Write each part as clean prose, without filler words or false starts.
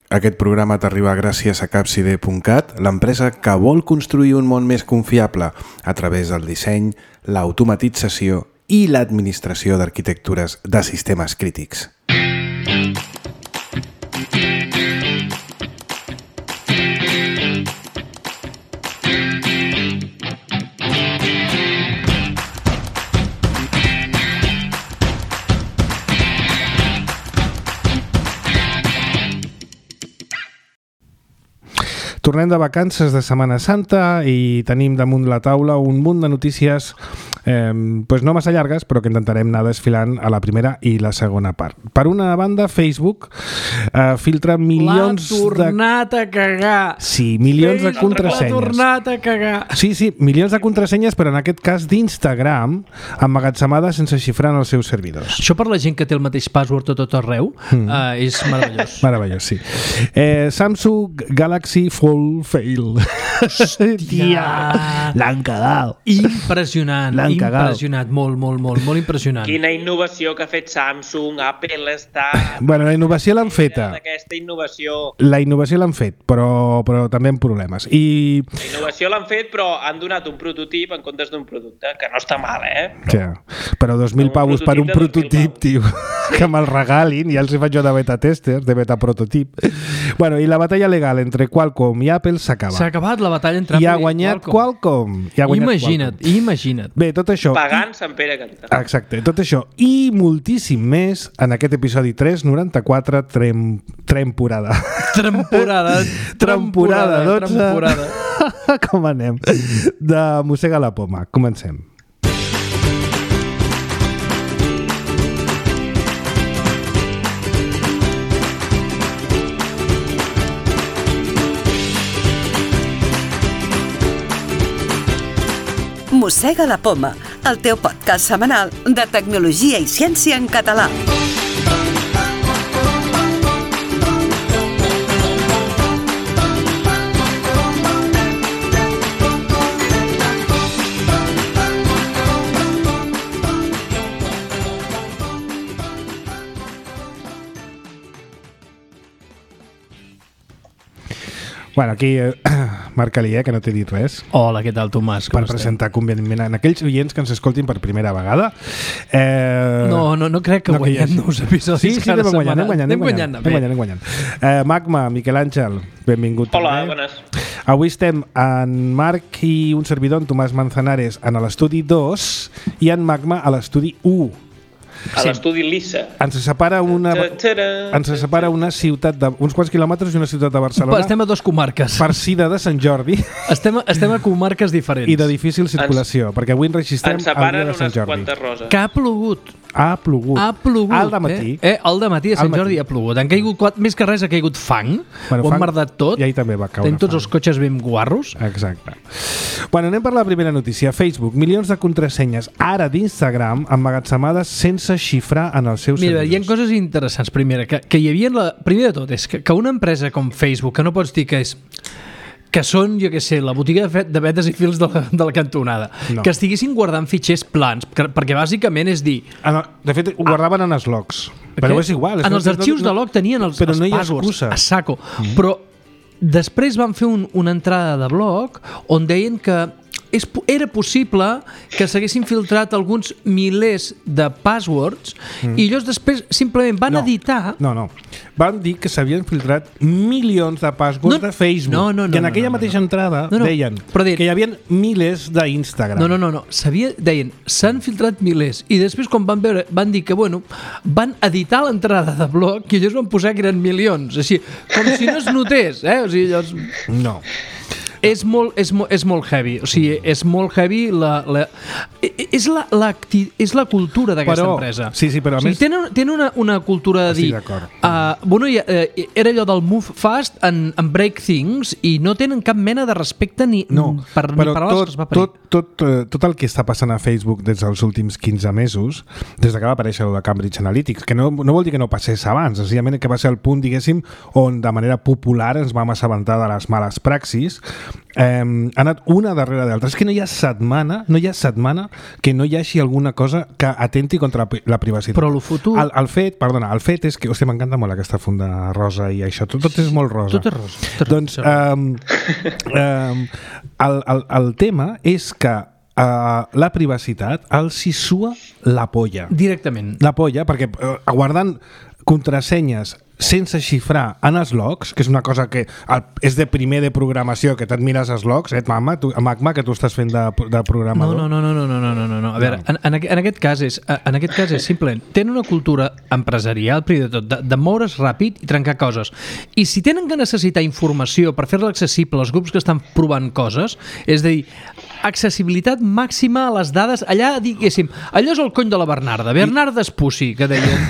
Aquest programa t'arriba gràcies a Capcide.cat, l'empresa que vol construir un món més confiable a través del disseny, l'automatització i l'administració d'arquitectures de sistemes crítics. Tornem de vacances de Setmana Santa i tenim damunt la taula un munt de notícies no massa llargues, però que intentarem anar desfilant a la primera i la segona part. Per una banda, Facebook filtra milions L'ha tornat a cagar. Sí, milions de contrasenyes. L'ha tornat a cagar. Sí, milions de contrasenyes, però en aquest cas d'Instagram, emmagatzemades sense xifrar en els seus servidors. Això per la gent que té el mateix password a tot arreu és meravellós. Meravellós, sí. Samsung Galaxy Fold Fail. Hòstia! L'han cagat. Impressionant, impressionat, molt impressionant. Quina innovació que ha fet Samsung, Apple està... Bueno, la innovació l'han feta. Aquesta innovació. La innovació l'han fet, però també amb problemes. La innovació l'han fet, però han donat un prototip en comptes d'un producte, que no està mal, Però 2.000 pavos per un prototip, tio, que me'l regalin, ja els hi faig jo de beta tester, de beta prototip. Bueno, i la batalla legal entre Qualcomm i Apple s'acaba. S'ha acabat la batalla entre Apple i ha guanyat Qualcomm. Imagina't. Bé, tot això... Pagant Sant Pere cantant. Exacte, tot això i moltíssim més en aquest episodi 394 temporada 12. Com anem? De Mossega la Poma. Comencem. Mossega la Poma, el teu podcast setmanal de tecnologia i ciència en català. Bueno, aquí marca-li, que no t'he dit res. Hola, què tal, Tomàs? Per presentar convenientment en aquells oients que ens escoltin per primera vegada. No crec que guanyem nous episodis. Sí, anem guanyant. Magma, Miquel Àngel, benvingut. Hola, bones. Avui estem en Marc i un servidor, en Tomàs Manzanares, en l'estudi 2 i en Magma a l'estudi 1. A l'estudi Lissa. Ens separa una ciutat uns quants quilòmetres i una ciutat de Barcelona. Estem a dues comarques. Farcida de Sant Jordi. Estem a comarques diferents. I de difícil circulació, perquè avui enregistrem el dia de Sant Jordi. Quantes roses. Que ha plogut. Ha plogut. Al dematí. Al dematí a Sant Jordi ha plogut. Han caigut, més que res ha caigut fang. Ho han merdat tot. I ahir també va caure fang. Tenim tots els cotxes ben guarros. Exacte. Bueno, anem per la primera notícia. Facebook, milions de contrasenyes ara d'Instagram emmagatzemades sense xifrar en els seus servidors. Mira, hi ha coses interessants. Primer de tot, és que una empresa com Facebook, que no pots dir que són, jo què sé, la botiga de vetes i fils de la cantonada, que estiguessin guardant fitxers plans, perquè bàsicament és dir... De fet, ho guardaven en els logs, però és igual. En els arxius de log tenien els passwords a saco, però després van fer una entrada de blog on deien que era possible que s'haguessin filtrat alguns milers de passwords i ells després simplement van editar... No. Van dir que s'havien filtrat milions de passwords de Facebook. Que en aquella mateixa entrada deien que hi havia milers d'Instagram. No. Deien, s'han filtrat milers. I després, quan van dir que, van editar l'entrada de blog i ells van posar que eren milions. Així, com si no es notés, O sigui, No. És molt heavy, o sigui, és molt heavy és la cultura d'aquesta empresa. Sí, però a més... Tenen una cultura de dir... Era allò del move fast and break things i no tenen cap mena de respecte ni paraules que es va parir. Tot el que està passant a Facebook des dels últims 15 mesos, des que va aparèixer el de Cambridge Analytics, que no vol dir que no passés abans, senzillament que va ser el punt, diguéssim, on de manera popular ens vam assabentar de les males praxis, ha anat una darrere d'altra. És que no hi ha setmana que no hi hagi alguna cosa que atenti contra la privacitat. Però el futur... El fet és que... Hòstia, m'encanta molt aquesta funda rosa i això. Tot és molt rosa. Tot és rosa. Doncs el tema és que la privacitat els hi sua la polla. Directament. La polla, perquè guardant contrasenyes sense xifrar en els logs, que és una cosa que és de primer de programació, que te'n mires els logs, Magma, que tu estàs fent de programador. No. A veure, en aquest cas és simplement, tenen una cultura empresarial, primer de tot, de moure's ràpid i trencar coses. I si tenen que necessitar informació per fer-la accessible als grups que estan provant coses, és a dir, accessibilitat màxima a les dades, allà, diguéssim, allò és el cony de la Bernarda, Bernarda Espussi, que deien...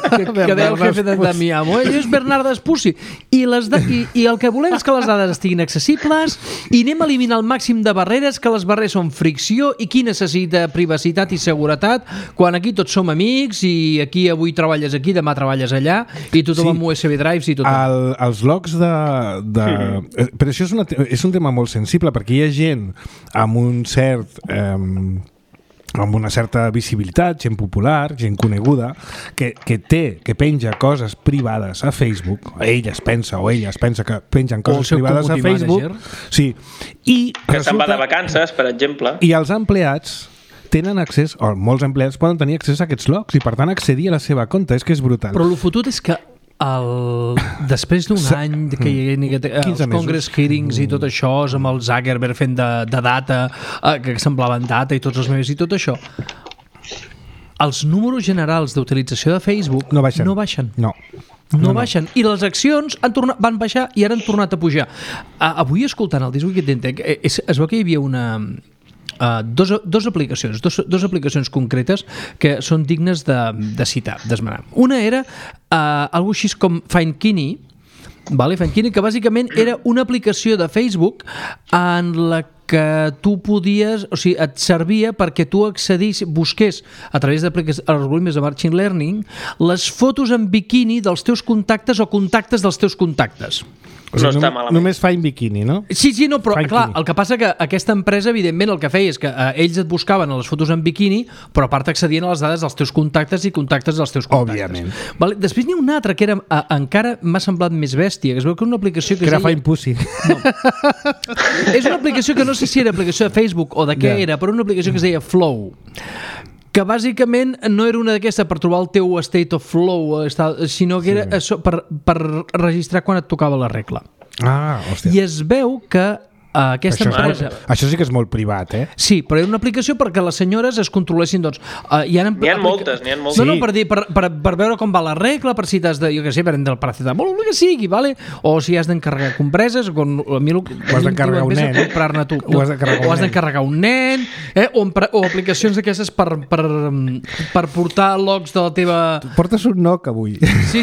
que deia el jefe de mi amo, ell és Bernarda Espussi, i el que volem és que les dades estiguin accessibles i anem a eliminar el màxim de barreres, que les barreres són fricció, i qui necessita privacitat i seguretat quan aquí tots som amics i aquí avui treballes aquí, demà treballes allà i tothom amb USB drives i tot. Els logs però això és un tema molt sensible, perquè hi ha gent amb un cert... amb una certa visibilitat, gent popular, gent coneguda, que penja coses privades a Facebook, ella es pensa que pengen coses privades a Facebook, sí, i que se'n va de vacances, per exemple, i els empleats tenen accés, o molts empleats poden tenir accés a aquests logs i per tant accedir a la seva compte. És que és brutal. Però el fotut és que després d'un any que hi hagi els Congress hearings i tot això, amb el Zuckerberg fent de data, que semblaven data i tots els memes i tot això, els números generals d'utilització de Facebook no baixen. No baixen. I les accions van baixar i ara han tornat a pujar. Avui, escoltant el This Week in Tech, es veu que hi havia dos aplicacions concretes que són dignes de citar, d'esmenar. Una era algo així com Findkini, que bàsicament era una aplicació de Facebook en la que tu podies, o sigui, et servia perquè tu busqués a través d'algoritmes de machine learning les fotos en biquini dels teus contactes o contactes dels teus contactes. O sigui, no està malament. Només fa en biquini, no? Sí, no, però clar, el que passa que aquesta empresa, evidentment, el que feia és que ells et buscaven a les fotos en biquini, però a part accedien a les dades dels teus contactes i contactes dels teus contactes. Òbviament. Després n'hi ha una altra que era, encara m'ha semblat més bèstia, que es veu que una aplicació que era Find Pussy. No. És una aplicació que no sé si era aplicació de Facebook o de què era, però una aplicació que es deia Flow, que bàsicament no era una d'aquestes per trobar el teu state of flow, sinó que era per registrar quan et tocava la regla. Hòstia. I es veu que aquesta empresa... Això sí que és molt privat, eh? Sí, però era una aplicació perquè les senyores es controlessin, doncs... N'hi ha moltes. No, per veure com va la regla, per si t'has de, jo què sé, prendre el paracetamol, el que sigui, vale? O si has d'encarregar compreses, o has d'encarregar un nen. O has d'encarregar un nen, o aplicacions d'aquestes per portar logs de la teva... Portes un NOC avui. Sí,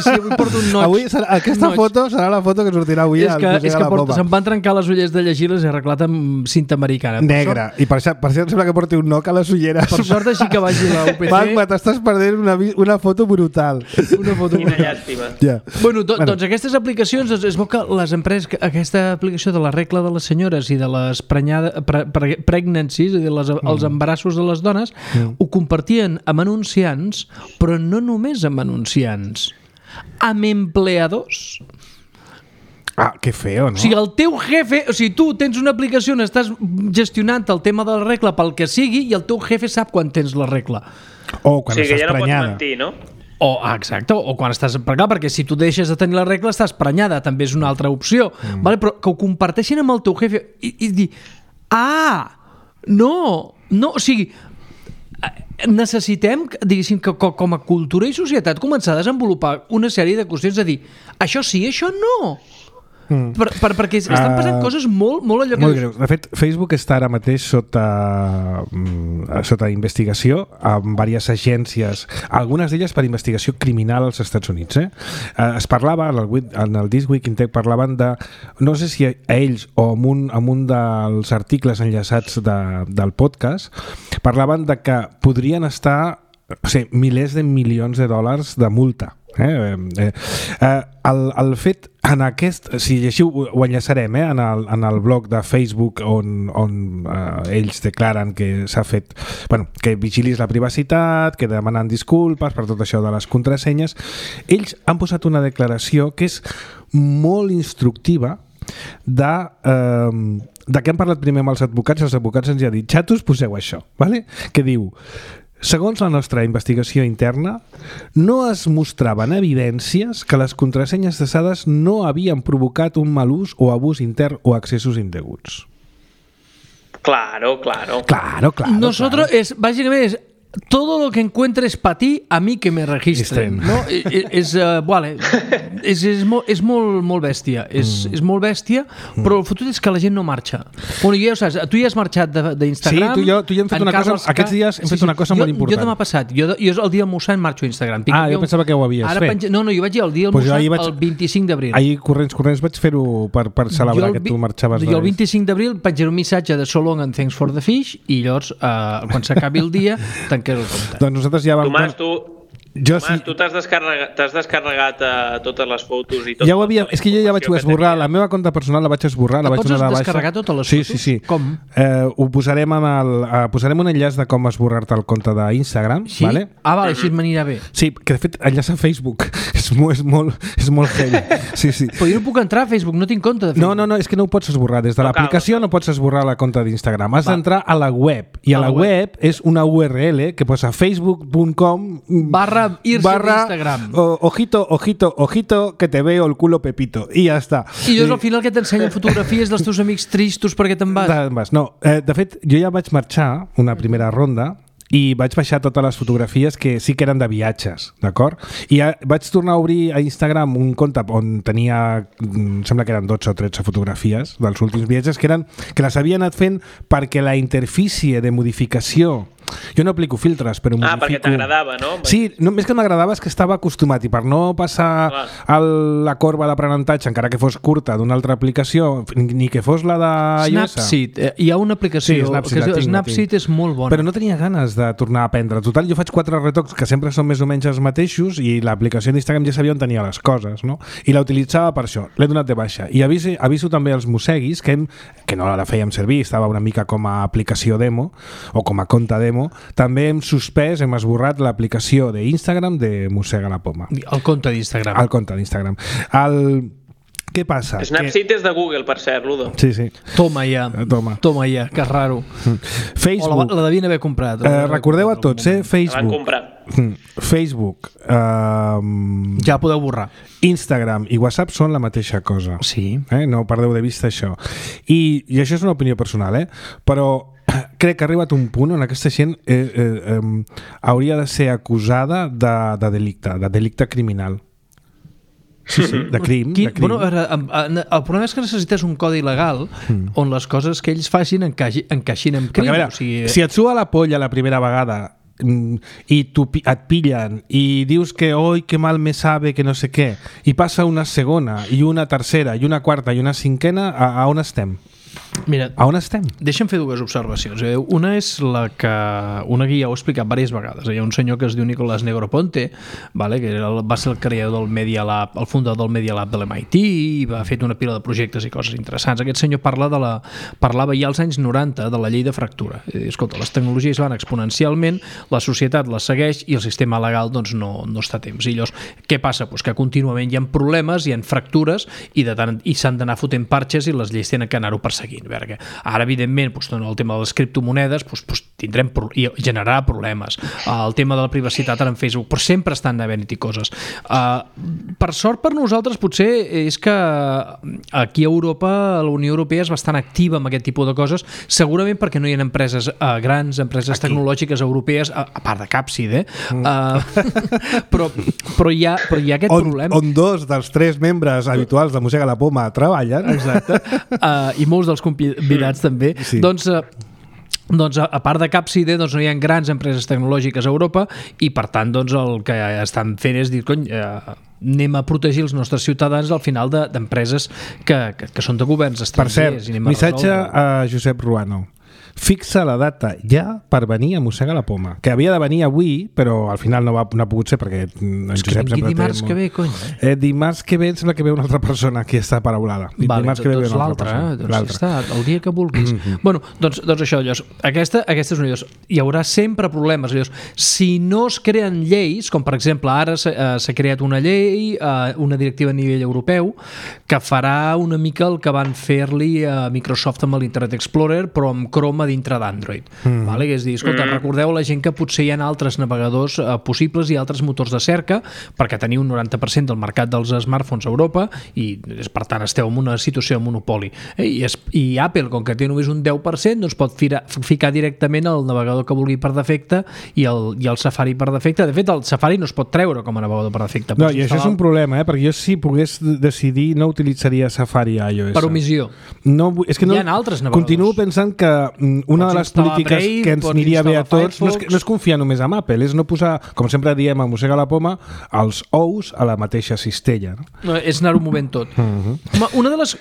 avui porto un NOC. Avui aquesta foto serà la foto que sortirà avui al Museu de la Poma. Se'm van trencar les ulleres de llegir-les i arreglat amb cinta americana. Negra. I per això sembla que porti un NOC a les ulleres. Per sort així que vagi la UPC. Magma, t'estàs perdent una foto brutal. Quina llàstima. Bueno, doncs aquestes aplicacions, es veu que les empreses, aquesta aplicació de la regla de les senyores i de les pregnancies, és a dir, els embarassos de les dones, ho compartien amb anunciants, però no només amb anunciants, amb empleadors. Que feo, no? O sigui, el teu jefe... O sigui, tu tens una aplicació on estàs gestionant el tema de la regla pel que sigui i el teu jefe sap quan tens la regla. O quan estàs ja no prenyada. Pots mentir, no? Exacte, o quan estàs prenyada, perquè si tu deixes de tenir la regla estàs prenyada, també és una altra opció. Vale? Però que ho comparteixin amb el teu jefe i dir... No, o sigui... necessitem, diguéssim, que com a cultura i societat començar a desenvolupar una sèrie de qüestions de dir, això sí, això no. Perquè estan passant coses molt allò que... Molt greus. De fet, Facebook està ara mateix sota investigació amb diverses agències, algunes d'elles per investigació criminal als Estats Units. Es parlava, en el This Week in Tech parlaven de, no sé si a ells o amb un dels articles enllaçats del podcast, parlaven de que podrien estar milers de milions de dòlars de multa El fet en aquest, si llegiu, ho enllaçarem en el blog de Facebook on ells declaren que s'ha fet, bueno, que vigilis la privacitat, que demanen disculpes per tot això de les contrasenyes. Ells han posat una declaració que és molt instructiva de què han parlat primer amb els advocats. Els advocats ens han dit, xatos, poseu això, vale? Que diu: segons la nostra investigació interna, no es mostraven evidències que les contrasenyes cessades no havien provocat un mal ús o abús intern o accessos indeguts. Claro. Nosotros básicamente es todo lo que encuentres para ti, a mí que me registren, ¿no? És molt bèstia, és molt bèstia, però el fotut és que la gent no marxa. Bueno, ja ho saps, tu ja has marxat d'Instagram. Sí, tu ja hem fet una cosa, aquests dies hem fet una cosa molt important. Jo demà passat, jo el dia del Mossèn marxo a Instagram. Jo pensava que ho havies fet. No, jo vaig dir el dia del Mossèn el 25 d'abril. Ahir corrents vaig fer-ho per celebrar que tu marxaves. Jo el 25 d'abril penjaré un missatge de so long and thanks for the fish i llavors, quan s'acabi el dia, tanqués el compte. Doncs nosaltres ja vam... Tomàs, tu t'has descarregat totes les fotos i tot. Ja ho havia... És que jo ja vaig esborrar. La meva compte personal la vaig esborrar. Pots descarregar totes les fotos? Sí. Com? Ho posarem posarem un enllaç de com esborrar-te el compte d'Instagram. Sí? Vale? Vale, així m'anirà bé. Sí, que de fet enllaç a Facebook. És molt heavy. Sí. Però jo no puc entrar a Facebook, no tinc compte de Facebook. No, és que no ho pots esborrar. Des de l'aplicació no pots esborrar la compte d'Instagram. Has d'entrar a la web. I a la web és una URL que posa facebook.com Instagram. Ojito, que te veo el culo Pepito. I ja està. I llavors al final que t'ensenyen fotografies dels teus amics tristos perquè te'n vas. No, de fet, jo ja vaig marxar una primera ronda i vaig baixar totes les fotografies que sí que eren de viatges, d'acord? I vaig tornar a obrir a Instagram un compte on tenia, sembla que eren 12 o 13 fotografies dels últims viatges que les havia anat fent perquè la interfície de modificació... Jo no aplico filtres, però modifico... perquè t'agradava, no? Sí, més que m'agradava és que estava acostumat i per no passar la corba d'aprenentatge, encara que fos curta, d'una altra aplicació, ni que fos la de iOS. Snapseed. Hi ha una aplicació Snapseed és molt bona. Però no tenia ganes de tornar a aprendre. Total, jo faig 4 retocs que sempre són més o menys els mateixos i l'aplicació d'Instagram ja sabia on tenia les coses, no? I la utilitzava per això. L'he donat de baixa. I aviso també als mosseguis que no la fèiem servir, estava una mica com a aplicació demo o com a compte demo. També hem esborrat l'aplicació d'Instagram de Mossega la Poma. El compte d'Instagram. El compte d'Instagram. Què passa? Snapseed és de Google, per cert, Ludo. Sí. Toma ja, que raro. Facebook. La devien haver comprat. Recordeu a tots, Facebook. La van comprar. Facebook. Ja podeu borrar. Instagram i WhatsApp són la mateixa cosa. Sí. No perdeu de vista això. I això és una opinió personal, però crec que ha arribat un punt on aquesta gent hauria de ser acusada de delicte criminal. Sí, de crim. Bueno, el problema és que necessites un codi legal on les coses que ells facin encaixin en crim. Veure, si et sua la polla la primera vegada i et pillen i dius que oi, que mal me sabe, que no sé què, i passa una segona i una tercera i una quarta i una cinquena, a on estem? Mira, a on estem? Deixa'm fer dues observacions. Una és la que una guia ho ha explicat diverses vegades. Hi ha un senyor que es diu Nicolás Negroponte, vale, que va ser el creador del Media Lab, el fundador del Media Lab de l'MIT, i va fer una pila de projectes i coses interessants. Aquest senyor parlava ja als anys 90 de la llei de fractura. Escolta, les tecnologies van exponencialment, la societat les segueix i el sistema legal doncs, no està a temps. I llavors, què passa? Pues que contínuament hi ha problemes, hi ha fractures i s'han d'anar fotent parxes i les lleis tenen que anar-ho perseguint. Ara, evidentment, el tema de les criptomonedes tindrem i generarà problemes. El tema de la privacitat ara en Facebook, però sempre estan havent-hi coses. Per sort per nosaltres potser és que aquí a Europa la Unió Europea és bastant activa amb aquest tipus de coses, segurament perquè no hi ha empreses grans, empreses tecnològiques europees, a part de Capsid, però hi ha aquest problema. On 2 dels 3 membres habituals de Mossega la Poma treballen. Exacte. I molts dels convidats també. Sí. Doncs a part de Capsid, no hi ha grans empreses tecnològiques a Europa i per tant el que estan fent és dir, anem a protegir els nostres ciutadans al final d'empreses que són de governs estrangers. Per cert, missatge a Josep Ruano. fixa la data ja per venir a Mossega la Poma, que havia de venir avui, però al final no ha pogut ser perquè en Josep sempre dimarts que ve, cony. Dimarts que ve sembla que ve una altra persona que està paraulada. Vale, doncs l'altre, doncs està, el dia que vulguis. Bueno, doncs això, llavors, aquesta és una llavors, hi haurà sempre problemes. Llavors, si no es creen lleis, com per exemple ara s'ha creat una llei, una directiva a nivell europeu, que farà una mica el que van fer-li a Microsoft amb l'Internet Explorer, però amb Chrome a dintre d'Android. Vale? Que és dir, escolta, recordeu la gent que potser hi ha altres navegadors possibles i altres motors de cerca, perquè teniu un 90% del mercat dels smartphones a Europa i per tant esteu en una situació de monopoli. I Apple, com que té només un 10%, doncs pot ficar directament el navegador que vulgui per defecte i el Safari per defecte. De fet, el Safari no es pot treure com a navegador per defecte. No, i això és un problema, perquè jo si pogués decidir no utilitzaria Safari a iOS. Per omissió. No, és que no, hi ha altres navegadors. Continuo pensant que una de les polítiques Brave, que ens aniria bé a tots no és confiar només en Apple, és no posar, com sempre diem a Mossega la Poma, els ous a la mateixa cistella. No, és anar-ho movent tot. Una de les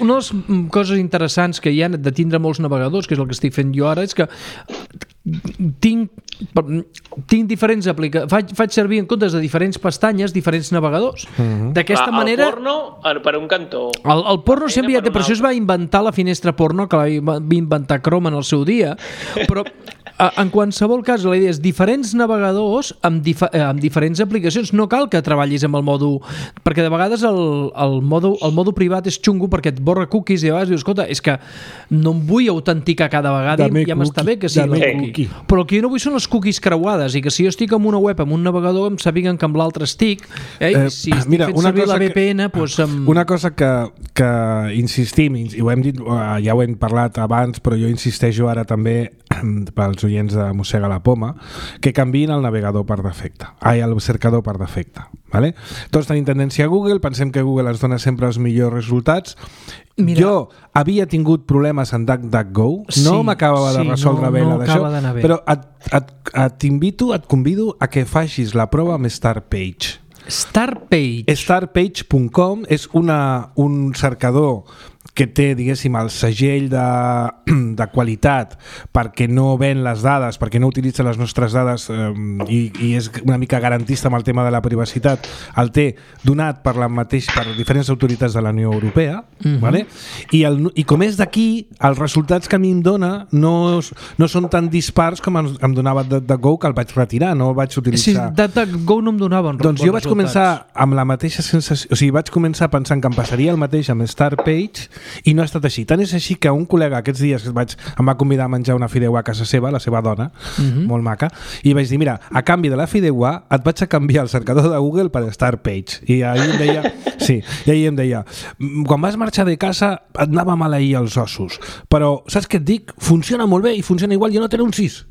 coses interessants que hi ha de tindre molts navegadors, que és el que estic fent jo ara, és que tinc diferents aplicacions, faig servir en comptes de diferents pestanyes diferents navegadors. D'aquesta manera el porno per un cantó, el porno sempre ja té, per això es va inventar la finestra porno, que va inventar Chrome en el seu dia, però en qualsevol cas la idea és diferents navegadors amb diferents aplicacions. No cal que treballis amb el modo, perquè de vegades el modo privat és xungo perquè et borra cookies i a vegades dius, escolta, és que no em vull autenticar cada vegada i ja m'està bé que sigui la cookie. Però el que jo no vull són les cookies creuades i que si jo estic en una web amb un navegador em sàpiguen que amb l'altre estic, si estic fent servir la VPN una cosa que insistim, i ho hem dit, ja ho hem parlat abans, però jo insisteixo ara també pels oients de Mossega la Poma, que canviïn el navegador per defecte, el cercador per defecte, vale? Tots tenim tendència a Google, pensem que Google ens dona sempre els millors resultats. Mira, jo havia tingut problemes en DuckDuckGo, no m'acabava de resoldre bé la d'això, però et convido a que facis la prova amb Startpage. Startpage.com és un cercador que té, diguéssim, el segell de qualitat perquè no ven les dades, perquè no utilitza les nostres dades i és una mica garantista amb el tema de la privacitat, el té donat per diferents autoritats de la Unió Europea, vale? I com és d'aquí, els resultats que a mi em dona no són tan dispars com em donava DuckDuckGo, que el vaig retirar, no el vaig utilitzar. Sí, DuckDuckGo no em donava doncs jo vaig començar amb la mateixa sensació, o sigui, vaig començar pensant que em passaria el mateix amb Startpage i no ha estat així. Tant és així que un col·lega aquests dies em va convidar a menjar una fideuà a casa seva, la seva dona, molt maca, i vaig dir, mira, a canvi de la fideuà et vaig a canviar el cercador de Google per Startpage. I ahir em deia, quan vas marxar de casa et anava mal ahir els ossos, però saps què et dic? Funciona molt bé i funciona igual, ja no té anuncis.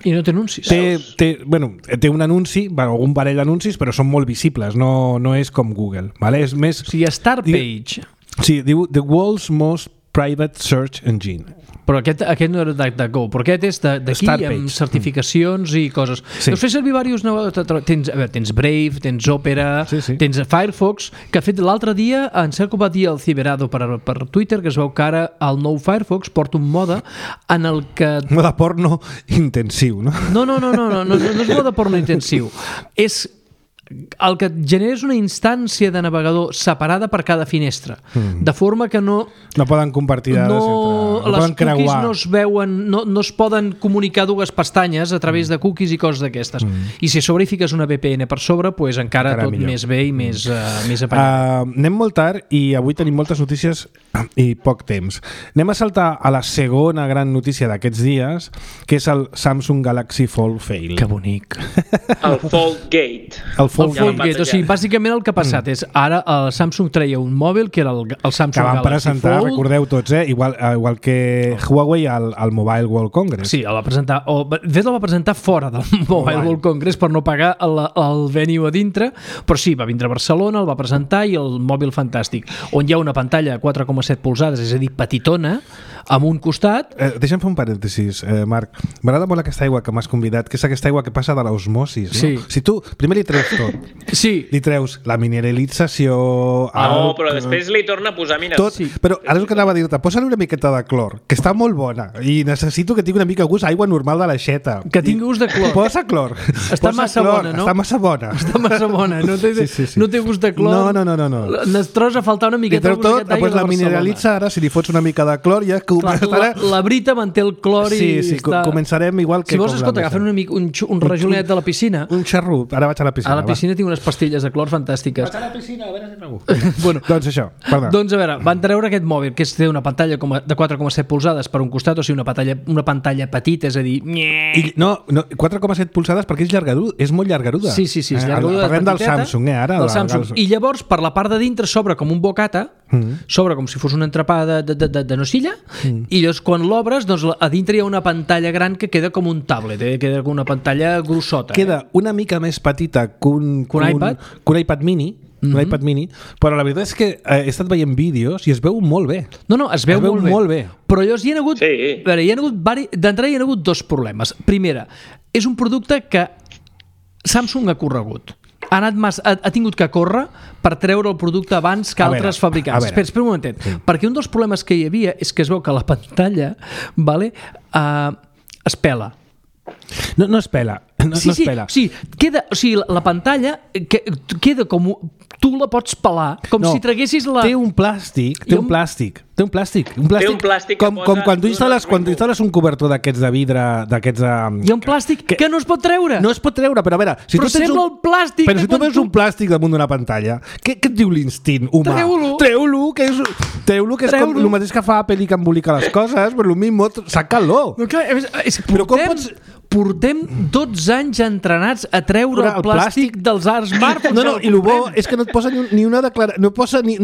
I no té anuncis. Té un anunci, un parell d'anuncis, però són molt visibles, no és com Google, vale? És més... O sigui, Startpage... Sí, diu The World's Most Private Search Engine. Però aquest no era DuckDuckGo, però aquest és d'aquí amb certificacions i coses. Sí. Deus fer servir diversos navegadors. Tens Brave, tens Opera, tens Firefox, que ha fet l'altre dia, en Cerco va dir el Ciberado per Twitter, que es veu que ara el nou Firefox porta un mode en el que... Mode porno intensiu, no? No és mode porno intensiu. És... el que genera és una instància de navegador separada per cada finestra, de forma que no poden compartir dades, no les cookies no es veuen, no es poden comunicar dues pestanyes a través de cookies i coses d'aquestes. I si a sobre hi fiques una VPN per sobre, pues encara tot millor. Més bé i més apanyat. Anem molt tard i avui tenim moltes notícies i poc temps. Anem a saltar a la segona gran notícia d'aquests dies, que és el Samsung Galaxy Fold Fail. Que bonic. El Foldgate. O sigui, bàsicament el que ha passat és ara el Samsung treia un mòbil que era el Samsung que van Galaxy presentar, Fold. recordeu tots, igual que Huawei al Mobile World Congress. Sí, el va presentar, de fet el va presentar fora del Mobile World Congress per no pagar el venue a dintre, però sí, va vindre a Barcelona, el va presentar i el mòbil fantàstic, on hi ha una pantalla de 4,7 polzades, és a dir, petitona, amb un costat... Deixa'm fer un parèntesis, Marc. M'agrada molt aquesta aigua que m'has convidat, que és aquesta aigua que passa de l'osmosis, no? Sí. Si tu primer li treus tot, li treus la mineralització... No, però després li torna a posar mineralització. Tot, sí. Però ara és el que anava a dir-te, posa-li una miqueta de clor, que està molt bona, i necessito que tingui una mica gust aigua normal de l'aixeta. Que tingui gust de clor. Posa clor. Està massa bona, no? Està massa bona. Està massa bona, no té gust de clor. No. Ens tros a faltar una miqueta de gust d'aigua de la mineralitza ara, si li fots una mica de clor, ja... La Brita manté el clor i està... Començarem igual que... Si vols, escolta, agafen un rajolet de la piscina... Un xarrup, ara vaig a la piscina. A la piscina tinc unes pastilles de clor fantàstiques. Vaig a la piscina, a veure si trobo. Bueno, doncs això, perdó. Doncs a veure, van treure aquest mòbil, que té una pantalla de 4,7 polzades per un costat, o sigui, una pantalla petita, és a dir... No, 4,7 polzades perquè és llargaruda, és molt llargaruda. Sí, és llargaruda. Parlem del Samsung, ara. Del Samsung. I llavors, per la part de dintre, s'obre com un bocata, s'obre com si fos un entrepà de nocilla, i llavors quan l'obres, doncs a dintre hi ha una pantalla gran que queda com un tablet, queda com una pantalla grossota. Queda una mica més petita que un iPad mini, un iPad mini, però la veritat és que he estat veient vídeos i es veu molt bé. No, es veu molt bé. Però llavors hi ha hagut d'entrada hi ha hagut dos problemes. Primera, és un producte que Samsung ha corregut. Ha tingut que córrer per treure el producte abans que altres fabricants. Espera un momentet. Sí. Perquè un dels problemes que hi havia és que es veu que la pantalla es pela. No es pela. No es pela. Sí, la pantalla queda com... Tu la pots pelar com si traguessis la... Té un plàstic. Com quan tu instal·les un cobertor d'aquests de vidre, d'aquests de... Hi ha un plàstic que no es pot treure. No es pot treure, però a veure... Però sembla el plàstic... Però si tu veus un plàstic damunt d'una pantalla, què et diu l'instint humà? Treu-lo, que és com el mateix que fa Apple i que embolica les coses, però el mismo, saca-lo. Però com pots... Portem 12 anys entrenats a treure el plàstic dels smartphones. No, i el bo és que no et posa ni una declaració,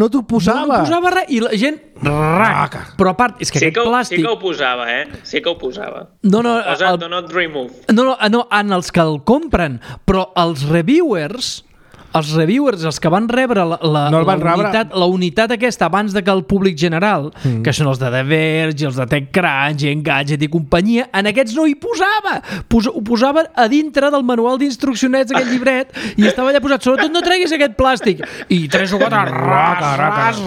no t'ho posava. No posava res, i la gent... Però a part, és que aquest plàstic... Sí que ho posava, Sí que ho posava. No, posa do not remove. No, en els que el compren, però els reviewers, els que van rebre la unitat aquesta abans de que el públic general, que són els de The Verge, els de TechCrunch, Engadget i companyia, en aquests no hi posava. Ho posava a dintre del manual d'instruccionets d'aquest llibret i estava allà posat, sobretot no treguis aquest plàstic. I 3 o 4,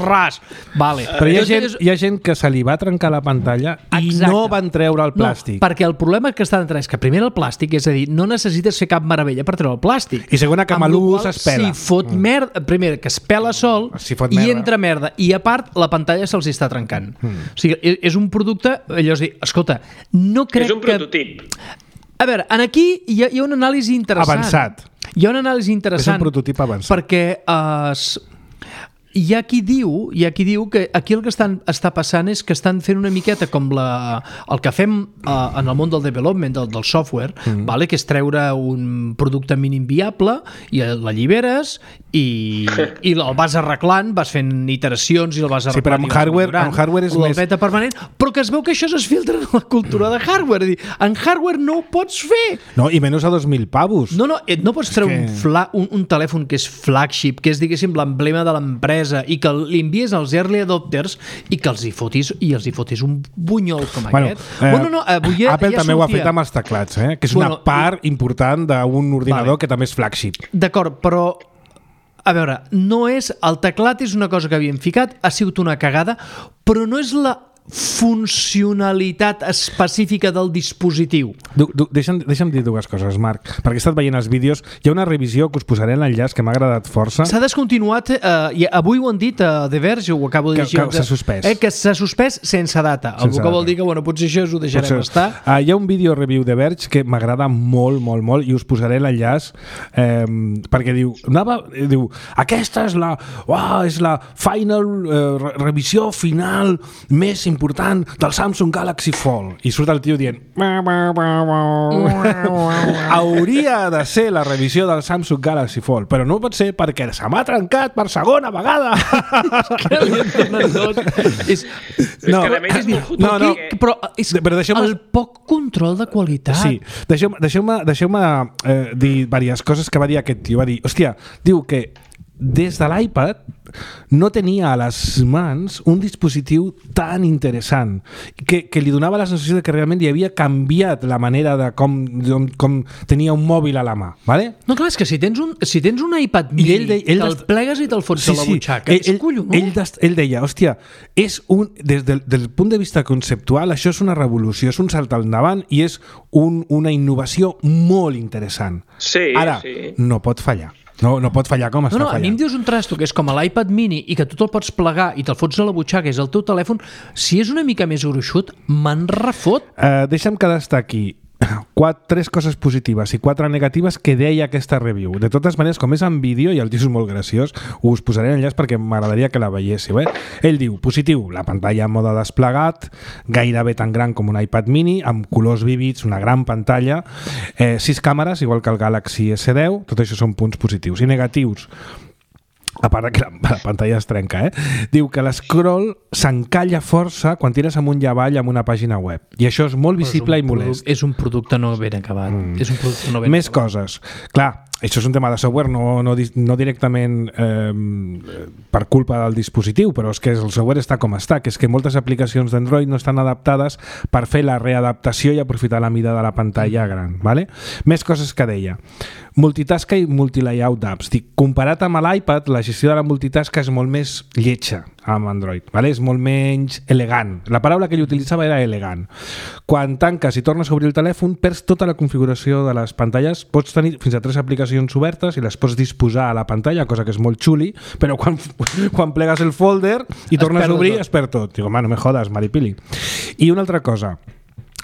ras. Vale. Però hi ha gent que se li va trencar la pantalla i no van treure el plàstic. No, perquè el problema que està dintre és que primer el plàstic, és a dir, no necessites fer cap meravella per treure el plàstic. I segona, que malús es pela. Si fot merda, primer que es pela sol i entra merda, i a part la pantalla se'ls està trencant. O sigui, és un producte, allò és dir, escolta, no crec que... És un prototip. A veure, aquí hi ha una anàlisi interessant. Avançat. Hi ha una anàlisi interessant. És un prototip avançat. Perquè hi ha qui diu que aquí el que està passant és que estan fent una miqueta com el que fem en el món del development, del software, vale? Que és treure un producte mínim viable i l'alliberes i el vas arreglant, vas fent iteracions i el vas arreglant. Sí, però amb hardware és més... beta permanent, però que es veu que això es filtra en la cultura de hardware. En hardware no ho pots fer. No, i menys a 2.000 pavos. No pots treure un telèfon que és flagship, que és, diguéssim, l'emblema de l'empresa, i que li envies als early adopters i que els hi fotis un bunyol com aquest. Apple també ho ha fet amb els teclats, que és una part important d'un ordinador que també és flagship. D'acord, però a veure, el teclat és una cosa que havíem ficat, ha sigut una cagada, però no és la funcionalitat específica del dispositiu. Deixa'm dir dues coses, Marc, perquè he estat veient els vídeos. Hi ha una revisió que us posaré en l'enllaç que m'ha agradat força. S'ha descontinuat, avui ho han dit a The Verge, ho acabo de dir. Que s'ha suspès. Que s'ha suspès sense data. Algú que vol dir que potser això ho deixarem estar. Hi ha un vídeo review de Verge que m'agrada molt, molt, molt, i us posaré l'enllaç perquè diu, aquesta és la final revisió final més important del Samsung Galaxy Fold, i surt el tio dient hauria de ser la revisió del Samsung Galaxy Fold, però no pot ser perquè se m'ha trencat per segona vegada. Que li entonen tot. Però és el poc control de qualitat. Sí, deixeu-me dir diverses coses que va dir aquest tio. Va dir, hòstia, diu que des de l'iPad no tenia a les mans un dispositiu tan interessant que li donava la sensació de que realment li havia canviat la manera de com tenia un mòbil a la mà, ¿vale? No, clar, és que si tens un iPad mini, te'l plegues i te'l fots a la butxaca, és collonut. Ell deia, hòstia, des del punt de vista conceptual, això és una revolució, és un salt al davant i és una innovació molt interessant. Sí, ara, no pot fallar. No pot fallar com està fallant. A mi em dius un trasto que és com l'iPad mini i que tu te'l pots plegar i te'l fots a la butxaca, és el teu telèfon, si és una mica més gruixut, me'n refot. Deixa'm que destaqui 3 coses positives i 4 negatives que deia aquesta review. De totes maneres, com és en vídeo i el tio és molt graciós, us posaré enllaç perquè m'agradaria que la veiéssiu. Ell diu, positiu, la pantalla en mode desplegat, gairebé tan gran com un iPad mini, amb colors vívids, una gran pantalla, 6 càmeres, igual que el Galaxy S10, tot això són punts positius. I negatius, a part que la pantalla es trenca, diu que l'escroll s'encalla força quan tires amunt i avall amb una pàgina web. I això és molt visible i molest. És un producte no ben acabat. És un producte no ben Més acabat. Coses. Clar, això és un tema de software, no directament per culpa del dispositiu, però és que el software està com està, que és que moltes aplicacions d'Android no estan adaptades per fer la readaptació i aprofitar la mida de la pantalla gran. ¿Vale? Més coses que deia. Multitasca i multilayout d'apps. Comparat amb l'iPad, la gestió de la multitasca és molt més lletja amb Android, ¿vale? És molt menys elegant. La paraula que ell utilitzava era elegant. Quan tanques i tornes a obrir el telèfon, perds tota la configuració de les pantalles, pots tenir fins a 3 aplicacions obertes i les pots disposar a la pantalla, cosa que és molt xuli, però quan plegues el folder i tornes a obrir, es perd tot. Digo, no me jodas, maripili. I una altra cosa,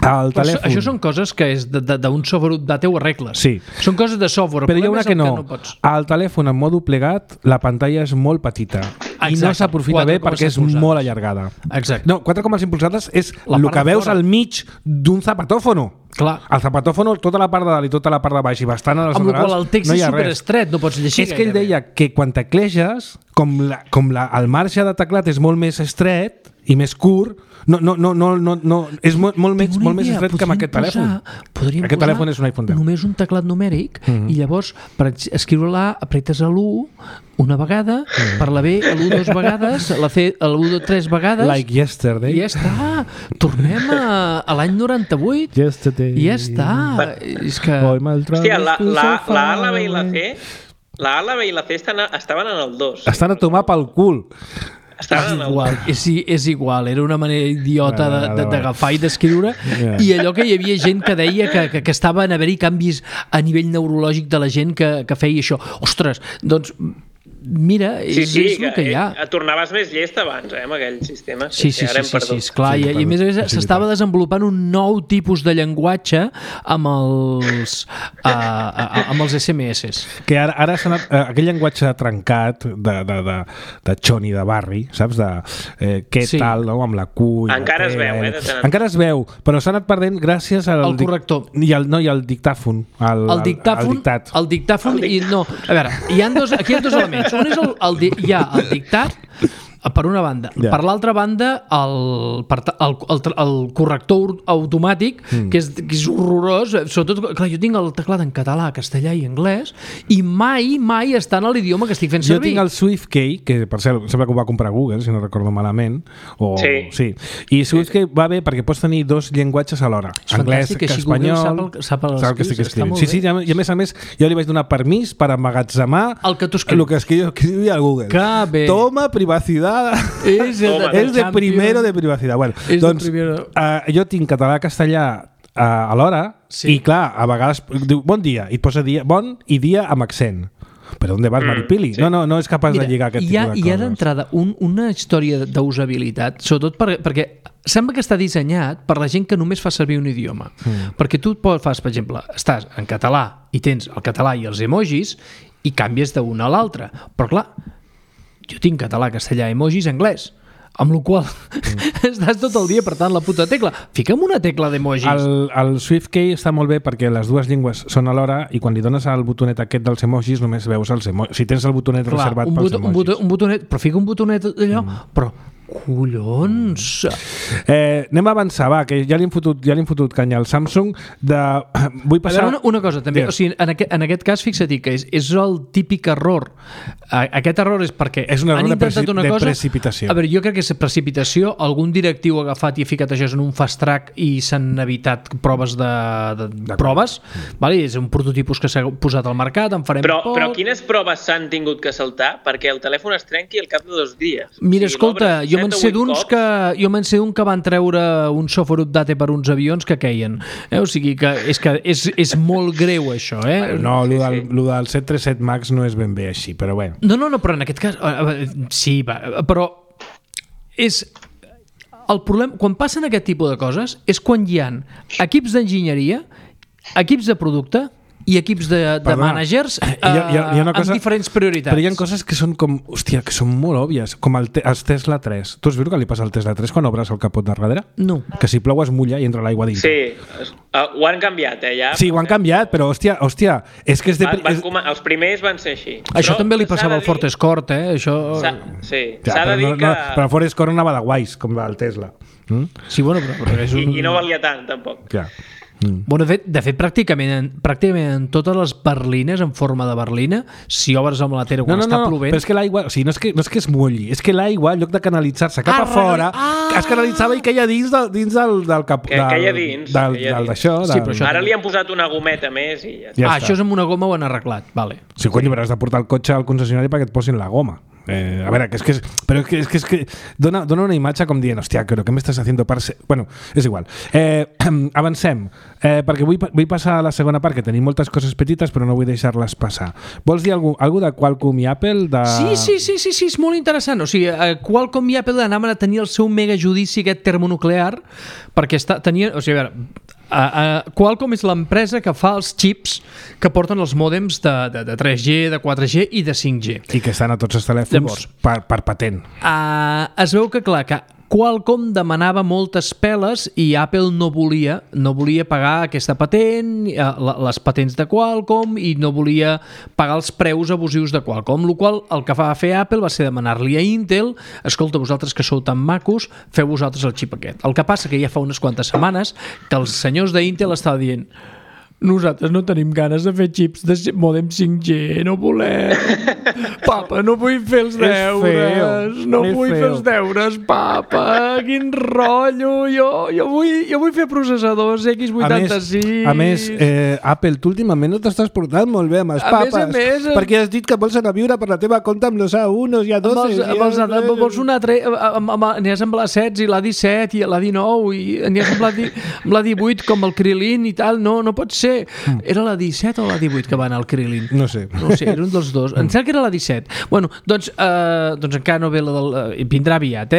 això són coses que és d'un software update ho arregles. Sí. Són coses de software. Però hi ha una que no. Al telèfon en modo plegat la pantalla és molt petita. Exacte. I no s'aprofita bé perquè és molt allargada. Exacte. No, 4,5 polzades és el que veus al mig d'un zapatòfono. Clar. El zapatòfono, tota la part de dalt i tota la part de baix i bastant a les laterals, amb el qual el text és superestret, no pots llegir. És que ell deia que quan tecleges, el marge de teclat és molt més estret i més curt, és molt més estret que amb aquest telèfon. Aquest telèfon és un iPhone 10. Només un teclat numèric i llavors per escriure-la apretes l'1 una vegada, per la B l'1 2 vegades, la C l'1 3 vegades. Like yesterday. I ja està. Tornem a l'any 98. Yesterday. I ja està. És que... Hòstia, la A, la B i la C... La A, la B i la C estaven en el 2. Estan a tomar pel cul. És igual, era una manera idiota d'agafar i d'escriure i allò que hi havia gent que deia que estaven a haver-hi canvis a nivell neurològic de la gent que feia això. Ostres, doncs mira, és el que hi ha. Tornaves més llest abans, amb aquell sistema. Sí, clar, i a més s'estava desenvolupant un nou tipus de llenguatge amb els SMS. Que ara s'ha anat, aquell llenguatge trencat de xoni de barri, saps? Què tal, no? Amb la Q... Encara es veu, Encara es veu, però s'ha anat perdent gràcies al corrector. I al dictàfon. El dictàfon i no... A veure, aquí hi ha dos elements. Un és hi ha el dictat per una banda. Per l'altra banda, el corrector automàtic, que és horrorós. Sobretot, clar, jo tinc el teclat en català, castellà i anglès, i mai està en l'idioma que estic fent servir. Jo tinc el SwiftKey, que per cert, sembla que ho va comprar Google, si no recordo malament. Sí. I SwiftKey va bé perquè pots tenir 2 llenguatges alhora. Anglès, espanyol... Sap el que estic escrivint. Sí, i a més, jo li vaig donar permís per emmagatzemar el que tu escrius. El que escrivia al Google. Toma privacidad. És de primero de privacidad. Bueno, doncs jo tinc català-castellà alhora i clar, a vegades diu bon dia i et posa bon i dia amb accent. Però on vas, maripili? No és capaç de lligar aquest tipus de coses. Hi ha d'entrada una història d'usabilitat, sobretot perquè sembla que està dissenyat per la gent que només fa servir un idioma. Perquè tu fas, per exemple, estàs en català i tens el català i els emojis i canvies d'un a l'altre. Però clar, jo tinc català, castellà, emojis, anglès, amb la qual estàs tot el dia apretant la puta tecla. Fica'm una tecla d'emojis. El SwiftKey està molt bé perquè les dues llengües són alhora i quan li dones al botonet aquest dels emojis només veus els emojis. Si tens el botonet reservat pels emojis. Un botonet, però fica un botonet allò, però Collons! Anem a avançar, va, que ja li hem fotut canya al Samsung. Vull passar... A veure, una cosa, també. O sigui, en aquest cas, fixa't que és el típic error. Aquest error és perquè és un error de precipitació. A veure, jo crec que és precipitació. Algun directiu ha agafat i ha ficat això en un fast track i s'han evitat proves de proves. Vale? És un prototipus que s'ha posat al mercat, en farem poc. Però quines proves s'han tingut que saltar perquè el telèfon es trenqui al cap de 2 dies? Mira, escolta, jo me'n sé d'un que van treure un software update per uns avions que queien. O sigui que és molt greu això, No, lo del 737 MAX no és ben bé així, però bé. No, però en aquest cas sí, però és el problema, quan passen aquest tipus de coses és quan hi ha equips d'enginyeria, equips de producte i equips de managers amb diferents prioritats. Però hi ha coses que són com, hòstia, que són molt òbvies, com els Tesla 3. Tu has vist què li passa al Tesla 3 quan obres el capot de darrere? No. Que si plou es mulla i entra l'aigua dins. Sí, ho han canviat, ja. Sí, ho han canviat, però hòstia, és que els primers van ser així. Això també li passava al Ford Escort, Això... Sí, s'ha de dir que... Però el Ford Escort anava de guais, com el Tesla. Sí, bueno, però és un... I no valia tant, tampoc. Clar. Bueno, de fet pràcticament en totes les berlines en forma de berlina, si obres amb la tera quan està plovent... Però és que l'aigua, o sigui, no és que es mulli, és que l'aigua, en lloc de canalitzar-se cap a fora, es canalitzava i queia dins del cap... Queia dins. D'això. Sí, ara li han posat una gometa més i ja està. Això és amb una goma ho han arreglat, vale. Sí, cony, però has de portar el cotxe al concessionari perquè et posin la goma. A veure, però és que dona una imatge com dient, hòstia, què m'estàs haciendo? Bueno, és igual. Avancem, perquè vull passar a la segona part, que tenim moltes coses petites però no vull deixar-les passar. Vols dir alguna de Qualcomm i Apple? Sí, és molt interessant. O sigui, Qualcomm i Apple anaven a tenir el seu mega judici aquest termonuclear perquè tenien... O sigui, a veure, Qualcomm és l'empresa que fa els xips que porten els mòdems de 3G, de 4G i de 5G. I que estan a tots els telèfons per patent. Es veu que, clar, que Qualcomm demanava moltes peles i Apple no volia pagar aquesta patent, les patents de Qualcomm, i no volia pagar els preus abusius de Qualcomm, el qual el que va fer Apple va ser demanar-li a Intel: escolta, vosaltres que sou tan macos, feu vosaltres el xip aquest. El que passa que ja fa unes quantes setmanes que els senyors d'Intel estaven dient: nosaltres no tenim ganes de fer xips de mòdem 5G, no volem. Papa, no vull fer els deures. No vull fer els deures, papa. Quin rotllo. Jo vull fer processadors X86. A més, Apple, tu últimament no t'estàs portant molt bé amb els papes. A més, perquè has dit que vols anar a viure per la teva compte amb los A1 i A12. Vols un altre... Anies amb l'A16 i l'A17 i l'A19 i anies amb l'A18 com el Krilin i tal. No pot ser. Era la 17 o la 18 que va anar al Krilin? No sé, era un dels dos. Em sembla que era la 17. Bueno, doncs encara no ve la del... Vindrà aviat,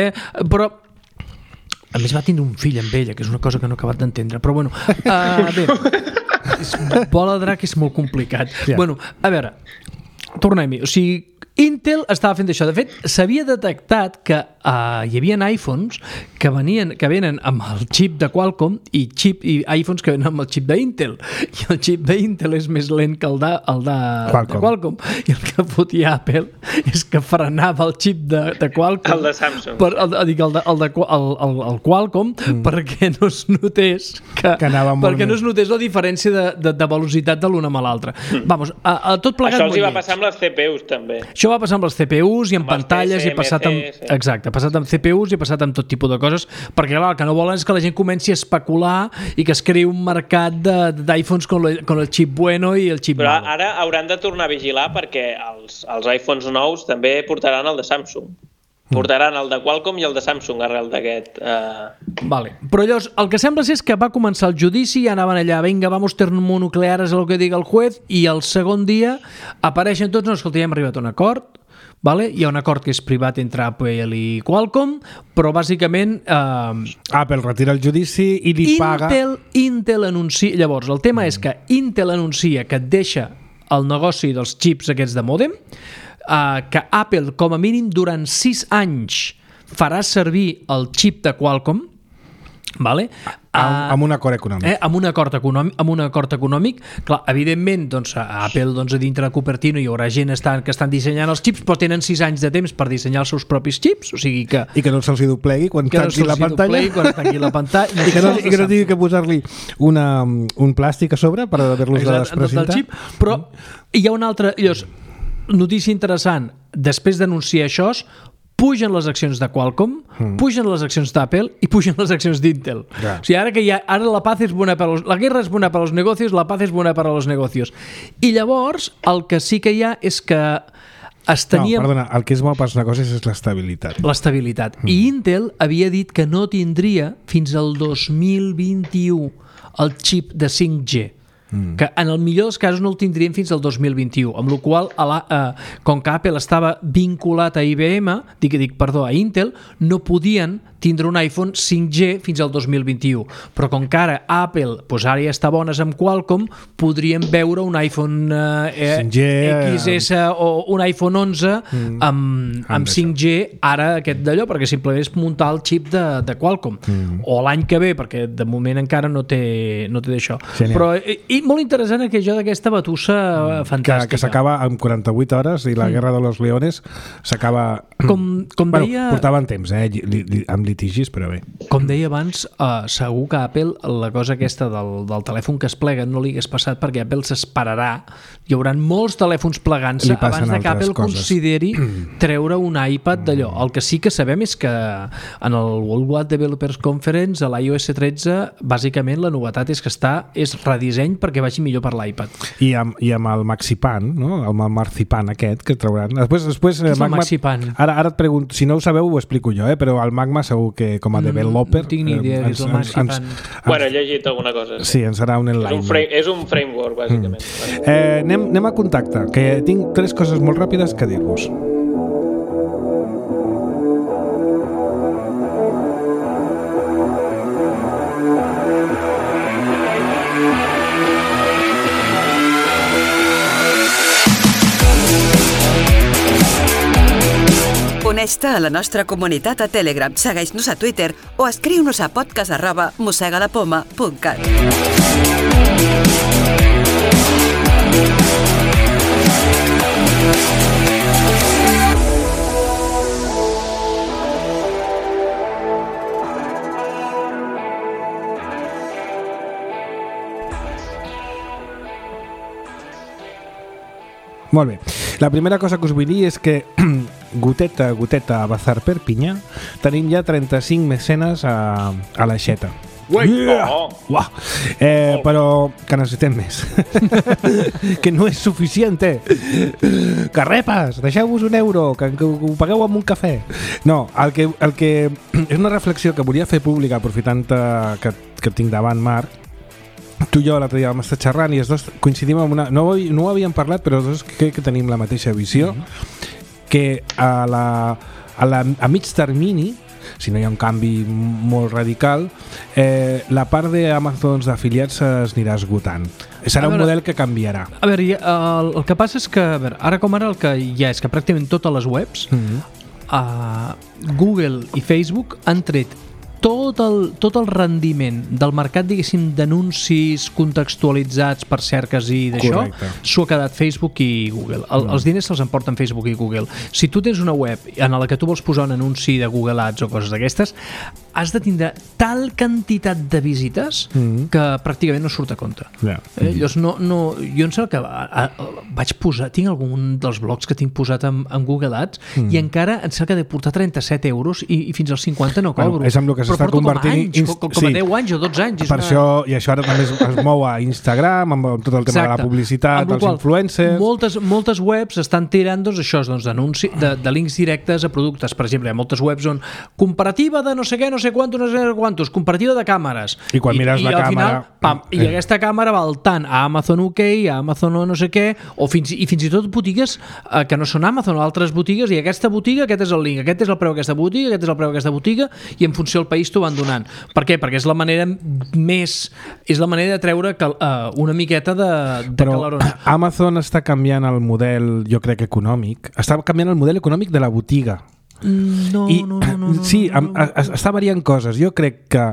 però a més va tindre un fill amb ella, que és una cosa que no he acabat d'entendre, però bueno, bé, bola de drac és molt complicat. Yeah. Bueno, a veure, tornem-hi. O sigui, Intel estava fent això. De fet, s'havia detectat que hi havia iPhones que venen amb el xip de Qualcomm i iPhones que venen amb el xip d'Intel. I el xip d'Intel és més lent que el de Qualcomm. I el que fotia Apple és que frenava el xip de Qualcomm. El de Samsung. El Qualcomm, perquè no es notés perquè no es notés la diferència de velocitat de l'una amb l'altra. Vamos, tot plegat. Això els hi va passar amb les CPUs també. Això va passar amb els CPUs i amb pantalles i ha passat amb... Exacte, ha passat amb CPUs i ha passat amb tot tipus de coses, perquè clar, el que no volen és que la gent comenci a especular i que es creï un mercat d'iPhones con el xip bueno i el xip malo. Però ara hauran de tornar a vigilar perquè els iPhones nous també portaran el de Samsung. Portaran el de Qualcomm i el de Samsung arrel d'aquest... Vale. Però llavors, el que sembla és que va començar el judici i anaven allà, vinga, vamos termonucleares a lo que diga el juez, i el segon dia apareixen tots, no, escolta, ja hem arribat a un acord, vale? Hi ha un acord que és privat entre Apple i Qualcomm, però bàsicament... Apple retira el judici i li paga... Intel anuncia... Llavors, el tema és que Intel anuncia que et deixa el negoci dels xips aquests de mòdem, que Apple, com a mínim, durant 6 anys farà servir el xip de Qualcomm, Vale? Amb un acord econòmic. Amb un acord econòmic. Clar, evidentment, doncs, a Apple, doncs, a dintre de Cupertino hi haurà gent que estan dissenyant els xips, però tenen 6 anys de temps per dissenyar els seus propis xips, o sigui que... I que no se'ls doblegui quan tanqui la pantalla. I que no tingui que posar-li un plàstic a sobre per haver-los de desprecintar. Però hi ha una altra... Notícia interessant. Després d'anunciar això, pugen les accions de Qualcomm, pugen les accions d'Apple i pugen les accions d'Intel. Yeah. O sigui, ara la paz es buena para la guerra es buena para los negocios, la paz es buena para los negocios. I llavors, el que sí que hi ha és que perdona, el que és bo pels negocis és l'estabilitat. L'estabilitat. I Intel havia dit que no tindria fins al 2021 el xip de 5G. Que en el millor dels casos no el tindrien fins al 2021, amb la qual com que Apple estava vinculat a IBM, a Intel, no podien tindre un iPhone 5G fins al 2021, però com que ara Apple ara ja està bones amb Qualcomm, podríem veure un iPhone 5G, XS o un iPhone 11 amb 5G ara aquest d'allò, perquè simplement és muntar el xip de Qualcomm, o l'any que ve, perquè de moment encara no té d'això. Però molt interessant això d'aquesta batussa fantàstica. Que s'acaba en 48 hores i la guerra de los leones s'acaba... Portaven temps, amb litigis, però bé. Com deia abans, segur que Apple, la cosa aquesta del telèfon que es plega no li hagués passat perquè Apple s'esperarà. Hi haurà molts telèfons plegant-se abans que Apple consideri treure un iPad d'allò. El que sí que sabem és que en el Worldwide Developers Conference, a l'iOS 13, bàsicament la novetat és que és redisseny perquè vagi millor per l'iPad. I amb el Maxipan, no? Amb el Marzipan aquest que trauran. Després, què és el Maxipan? Ara et pregunto, si no ho sabeu ho explico jo, però el Magma segur que com a developer... No tinc ni idea què és el Maxipan. Bueno, he llegit alguna cosa. Sí, ens serà un enlightenment. És un framework, bàsicament. Anem a contacte, que tinc 3 coses molt ràpides que dir-vos. Uneix-te a la nostra comunitat a Telegram, segueix-nos a Twitter o escriu-nos a podcast@mossegalapoma.cat. Molt bé. La primera cosa que us vull dir és que goteta a Bazar Perpinyà tenim ja 35 mecenes a l'aixeta. Però que necessitem més. Que no és suficient. Carrepes, deixeu-vos €1, que ho pagueu amb un cafè. No, el que és una reflexió que volia fer pública aprofitant que tinc davant Marc. Tu i jo l'altre dia vam estar xerrant i els dos coincidim amb una... No ho havíem parlat, però els dos crec que tenim la mateixa visió, que a mig termini, si no hi ha un canvi molt radical, la part d'Amazon d'afiliats s'anirà esgotant. Serà un model que canviarà. A veure, el que passa és que ara com ara el que hi ha és que pràcticament totes les webs, Google i Facebook han tret tot el rendiment del mercat, diguéssim, d'anuncis contextualitzats per cerques i d'això, s'ho ha quedat Facebook i Google. Els diners se'ls emporten Facebook i Google. Si tu tens una web en la que tu vols posar un anunci de Google Ads o coses d'aquestes, has de tindre tal quantitat de visites que pràcticament no surt a compte. Llavors, jo em sembla que vaig posar, tinc algun dels blogs que tinc posat en Google Ads i encara em sembla que he de portar €30 i fins als 50 no cobro. És amb el que s'està convertint... Com a 10 anys o 12 anys. Per això, i això ara també es mou a Instagram, amb tot el tema de la publicitat, els influencers... Moltes webs estan tirant d'anuncis, de links directes a productes. Per exemple, hi ha moltes webs on comparativa de no sé què, no sé quantos, comparativa de càmeres. I quan mires la càmera... I aquesta càmera val tant a Amazon UK, a Amazon no sé què, i fins i tot botigues que no són Amazon, altres botigues, i aquesta botiga, aquest és el link, aquest és el preu d'aquesta botiga, aquest és el preu d'aquesta botiga, i en funció del país t'ho van donant. Per què? Perquè és la manera de treure una miqueta de calarons. Amazon està canviant el model, jo crec, econòmic. Està canviant el model econòmic de la botiga. No. Sí, està variant coses. Jo crec que,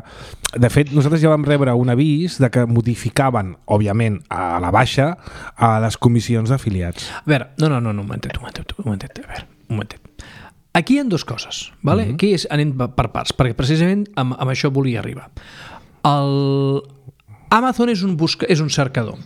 de fet, nosaltres ja vam rebre un avís de que modificaven, òbviament, a la baixa, a les comissions d'afiliats. A veure, no, un momentet. A veure, un momentet. Aquí hi ha dues coses, ¿vale? Aquí anem per parts, perquè precisament amb això volia arribar. Amazon és un cercador.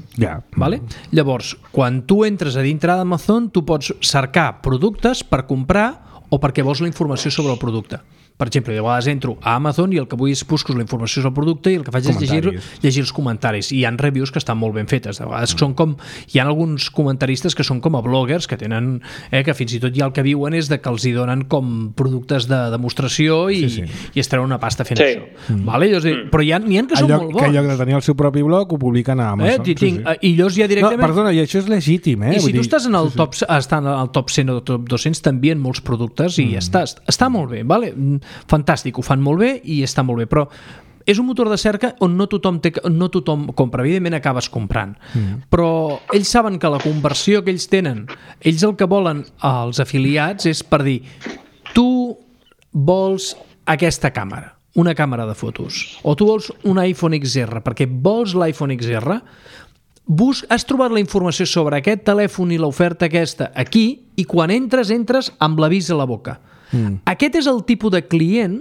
Vale? Llavors, quan tu entres a dintre d'Amazon, tu pots cercar productes per comprar o perquè vols la informació sobre el producte. Per exemple, de vegades entro a Amazon i el que vull és busco la informació sobre el producte i el que faig és llegir els comentaris. I hi ha reviews que estan molt ben fetes. De vegades són com... Hi ha alguns comentaristes que són com a bloggers que tenen... que fins i tot ja el que viuen és de que els hi donen com productes de demostració i es treuen una pasta fent això. Vale? Però n'hi ha que són molt bons. Que en lloc de tenir el seu propi blog ho publiquen a Amazon. I llavors ja directament... No, perdona, i això és legítim. I si tu estàs en el top 100 o top 200 t'envien molts productes i està molt bé, vale? Fantàstic, ho fan molt bé i està molt bé, però és un motor de cerca on no tothom compra. Evidentment acabes comprant, però ells saben que la conversió que ells tenen, ells el que volen als afiliats és per dir, tu vols aquesta càmera, una càmera de fotos, o tu vols un iPhone XR, perquè vols l'iPhone XR, has trobat la informació sobre aquest telèfon i l'oferta aquesta aquí, i quan entres amb l'avís a la boca. Aquest és el tipus de client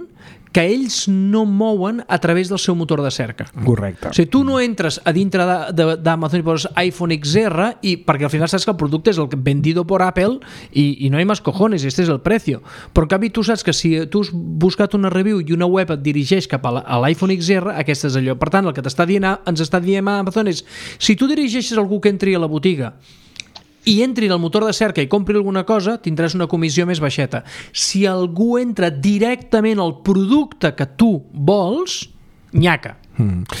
que ells no mouen a través del seu motor de cerca. Correcte. O sigui, tu no entres a dintre d'Amazon i poses iPhone XR perquè al final saps que el producte és el vendido por Apple i no hay más cojones, este és el precio. Però en canvi tu saps que si tu has buscat una review i una web et dirigeix cap a l'iPhone XR, aquest és allò. Per tant, el que ens està dient Amazon és, si tu dirigeixes algú que entri a la botiga i entri en el motor de cerca i compri alguna cosa, tindràs una comissió més baixeta. Si algú entra directament al producte que tu vols, nyaca.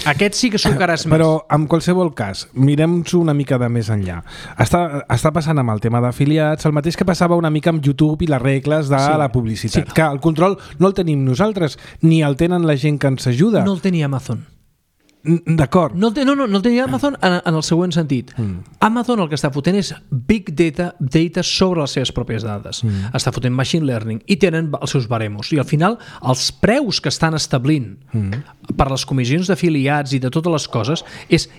Aquest sí que sucaràs més. Però en qualsevol cas, mirem-s'ho una mica de més enllà. Està passant amb el tema d'afiliats el mateix que passava una mica amb YouTube i les regles de la publicitat. Que el control no el tenim nosaltres, ni el tenen la gent que ens ajuda. No el tenia Amazon. D'acord. No el tenia Amazon en el següent sentit. Amazon el que està fotent és big data sobre les seves pròpies dades. Està fotent machine learning i tenen els seus baremos. I al final els preus que estan establint per les comissions d'afiliats i de totes les coses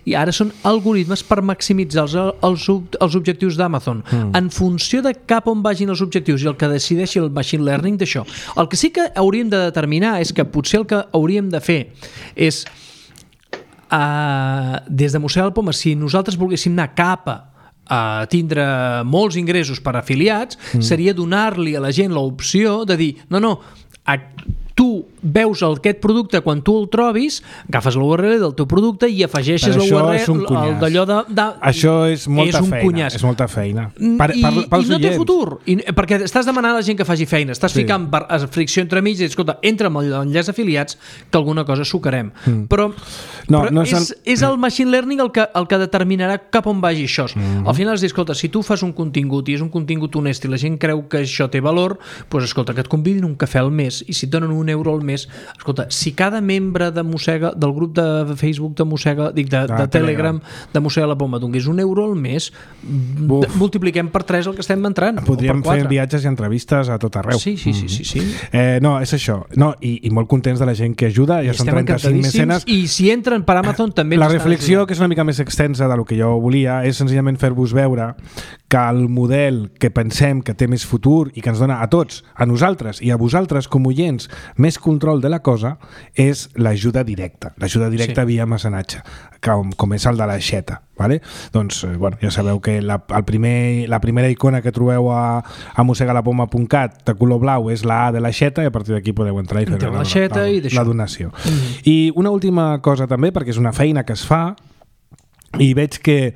i ara són algoritmes per maximitzar els objectius d'Amazon en funció de cap on vagin els objectius i el que decideixi el machine learning d'això. El que sí que hauríem de determinar és que potser el que hauríem de fer és des de Museu del Poma, si nosaltres volguéssim anar cap a tindre molts ingressos per afiliats, seria donar-li a la gent l'opció de dir, no, tu veus aquest producte quan tu el trobis, agafes l'URL del teu producte i afegeixes l'URL d'allò de... Això és molta feina. És molta feina. I no té futur, perquè estàs demanant a la gent que faci feina, estàs ficant fricció entre mig i escolta, entra amb l'enllaç d'afiliats que alguna cosa sucarem. Però és el machine learning el que determinarà cap on vagi això. Al final és dir, escolta, si tu fas un contingut i és un contingut honest i la gent creu que això té valor, doncs escolta, que et convidin un cafè al mes i si et donen €1 al mes, escolta, si cada membre de Mossega, del grup de Facebook de Mossega, de Telegram de Mossega la Poma donés €1 al mes, multipliquem per 3 el que estem entrant. Podríem fer viatges i entrevistes a tot arreu. Sí. No, és això. I molt contents de la gent que ajuda, ja són 35 mecenes. I si entren per Amazon també... La reflexió, que és una mica més extensa del que jo volia, és senzillament fer-vos veure que el model que pensem que té més futur i que ens dona a tots, a nosaltres i a vosaltres com oients, més control de la cosa, és l'ajuda directa. L'ajuda directa via mecenatge, com és el de la xeta. Vale? Doncs, ja sabeu que la primera icona que trobeu a mossegalapoma.cat de color blau és la A de la xeta i a partir d'aquí podeu entrar i fer la donació. I una última cosa també, perquè és una feina que es fa i veig que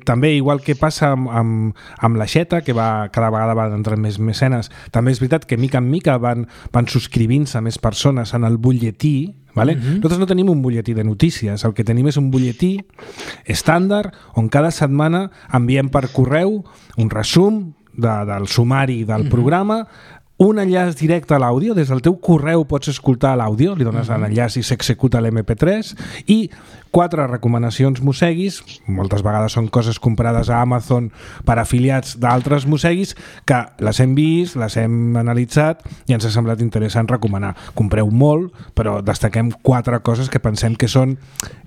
també, igual que passa amb la xeta, que cada vegada van entrant més mecenes, també és veritat que mica en mica van subscrivint-se més persones en el butlletí. Vale? Nosaltres no tenim un butlletí de notícies, el que tenim és un butlletí estàndard on cada setmana enviem per correu un resum del sumari del programa, un enllaç directe a l'àudio, des del teu correu pots escoltar l'àudio, li dones l'enllaç i s'executa l'MP3, i 4 recomanacions mosseguis, moltes vegades són coses comprades a Amazon per afiliats d'altres mosseguis, que les hem vist, les hem analitzat i ens ha semblat interessant recomanar. Compreu molt, però destaquem 4 coses que pensem que són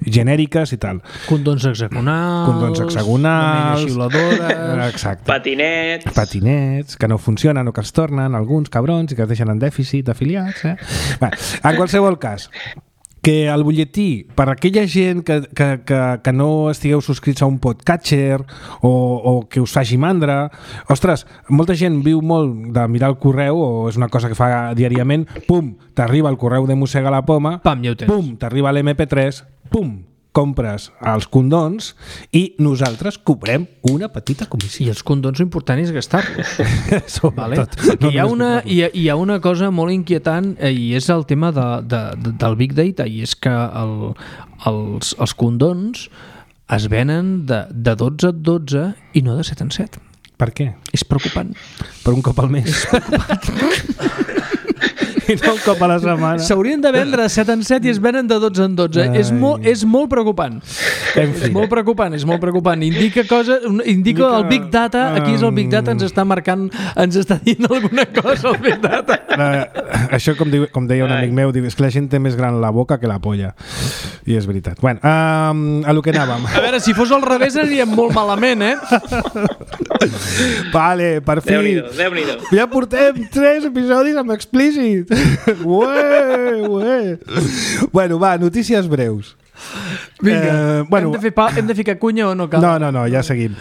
genèriques i tal. Condons hexagonals, xiuladores, exacte. Patinets, que no funcionen o que els tornen alguns cabrons i que es deixen en dèficit d'afiliats. Bé, en qualsevol cas, que el butlletí, per a aquella gent que no estigueu subscrits a un podcatcher o que us faci mandra, ostres, molta gent viu molt de mirar el correu, o és una cosa que fa diàriament, pum, t'arriba el correu de Mossega la Poma, pam, ja ho tens. Pum, t'arriba l'MP3, pum, compres els condons i nosaltres cobrem una petita comissió. I els condons important és gastar-los. Vale? Hi ha una cosa molt inquietant i és el tema del Big Data, i és que els condons es venen de 12 en 12 i no de 7 en 7. Per què? És preocupant. Per un cop al mes. És preocupant. I no un cop a la setmana. S'haurien de vendre de 7 en 7 i es venen de 12 en 12. És molt preocupant. És molt preocupant. Indica el Big Data, aquí és el Big Data, ens està marcant, ens està dient alguna cosa el Big Data. Això, com deia un amic meu, és que la gent té més gran la boca que la polla. I és veritat. Bueno, a lo que anàvem. A veure, si fos al revés aniríem molt malament, Vale, per fi. Déu-n'hi-do. Ja portem 3 episodis amb explícit. Ué. Bueno, va, notícies breus. Vinga, hem de ficar cunya o no cal? No, ja seguim.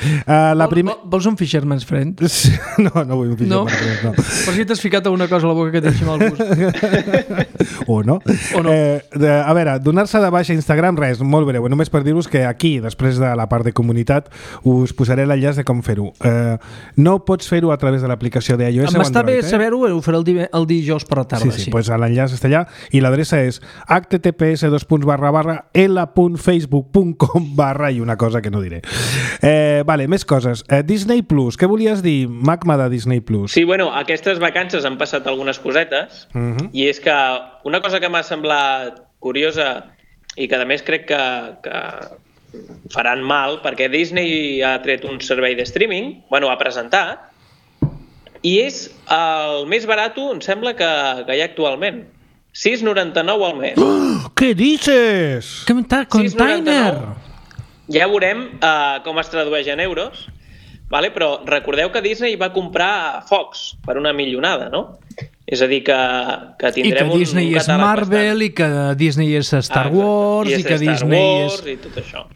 Vols un Fisherman's Friend? No vull un Fisherman's Friend, no. Per si t'has ficat alguna cosa a la boca que et deixi mal gust. O no. A veure, donar-se de baixa a Instagram, res, molt breu. Només per dir-vos que aquí, després de la part de comunitat, us posaré l'enllaç de com fer-ho. No pots fer-ho a través de l'aplicació d'iOS o Android. M'està bé saber-ho, ho faré el dijous per la tarda. Sí, pues l'enllaç està allà i l'adreça és https://l.facebook.com/ i una cosa que no diré. Vale, més coses. Disney Plus, què volies dir, Magma, de Disney Plus? Sí, bueno, aquestes vacances han passat algunes cosetes i és que una cosa que m'ha semblat curiosa i que a més crec que faran mal, perquè Disney ha tret un servei de streaming, ha presentat, i és el més barat, em sembla, que hi ha actualment. 6,99 al mes. Què dices? Container! Ja veurem com es tradueix en euros, vale? Però recordeu que Disney va comprar Fox per una milionada, no? És a dir, que tindrem un catàleg bastant... I que Disney és Marvel, i que Disney és Star Wars, i que Disney és... i tot això.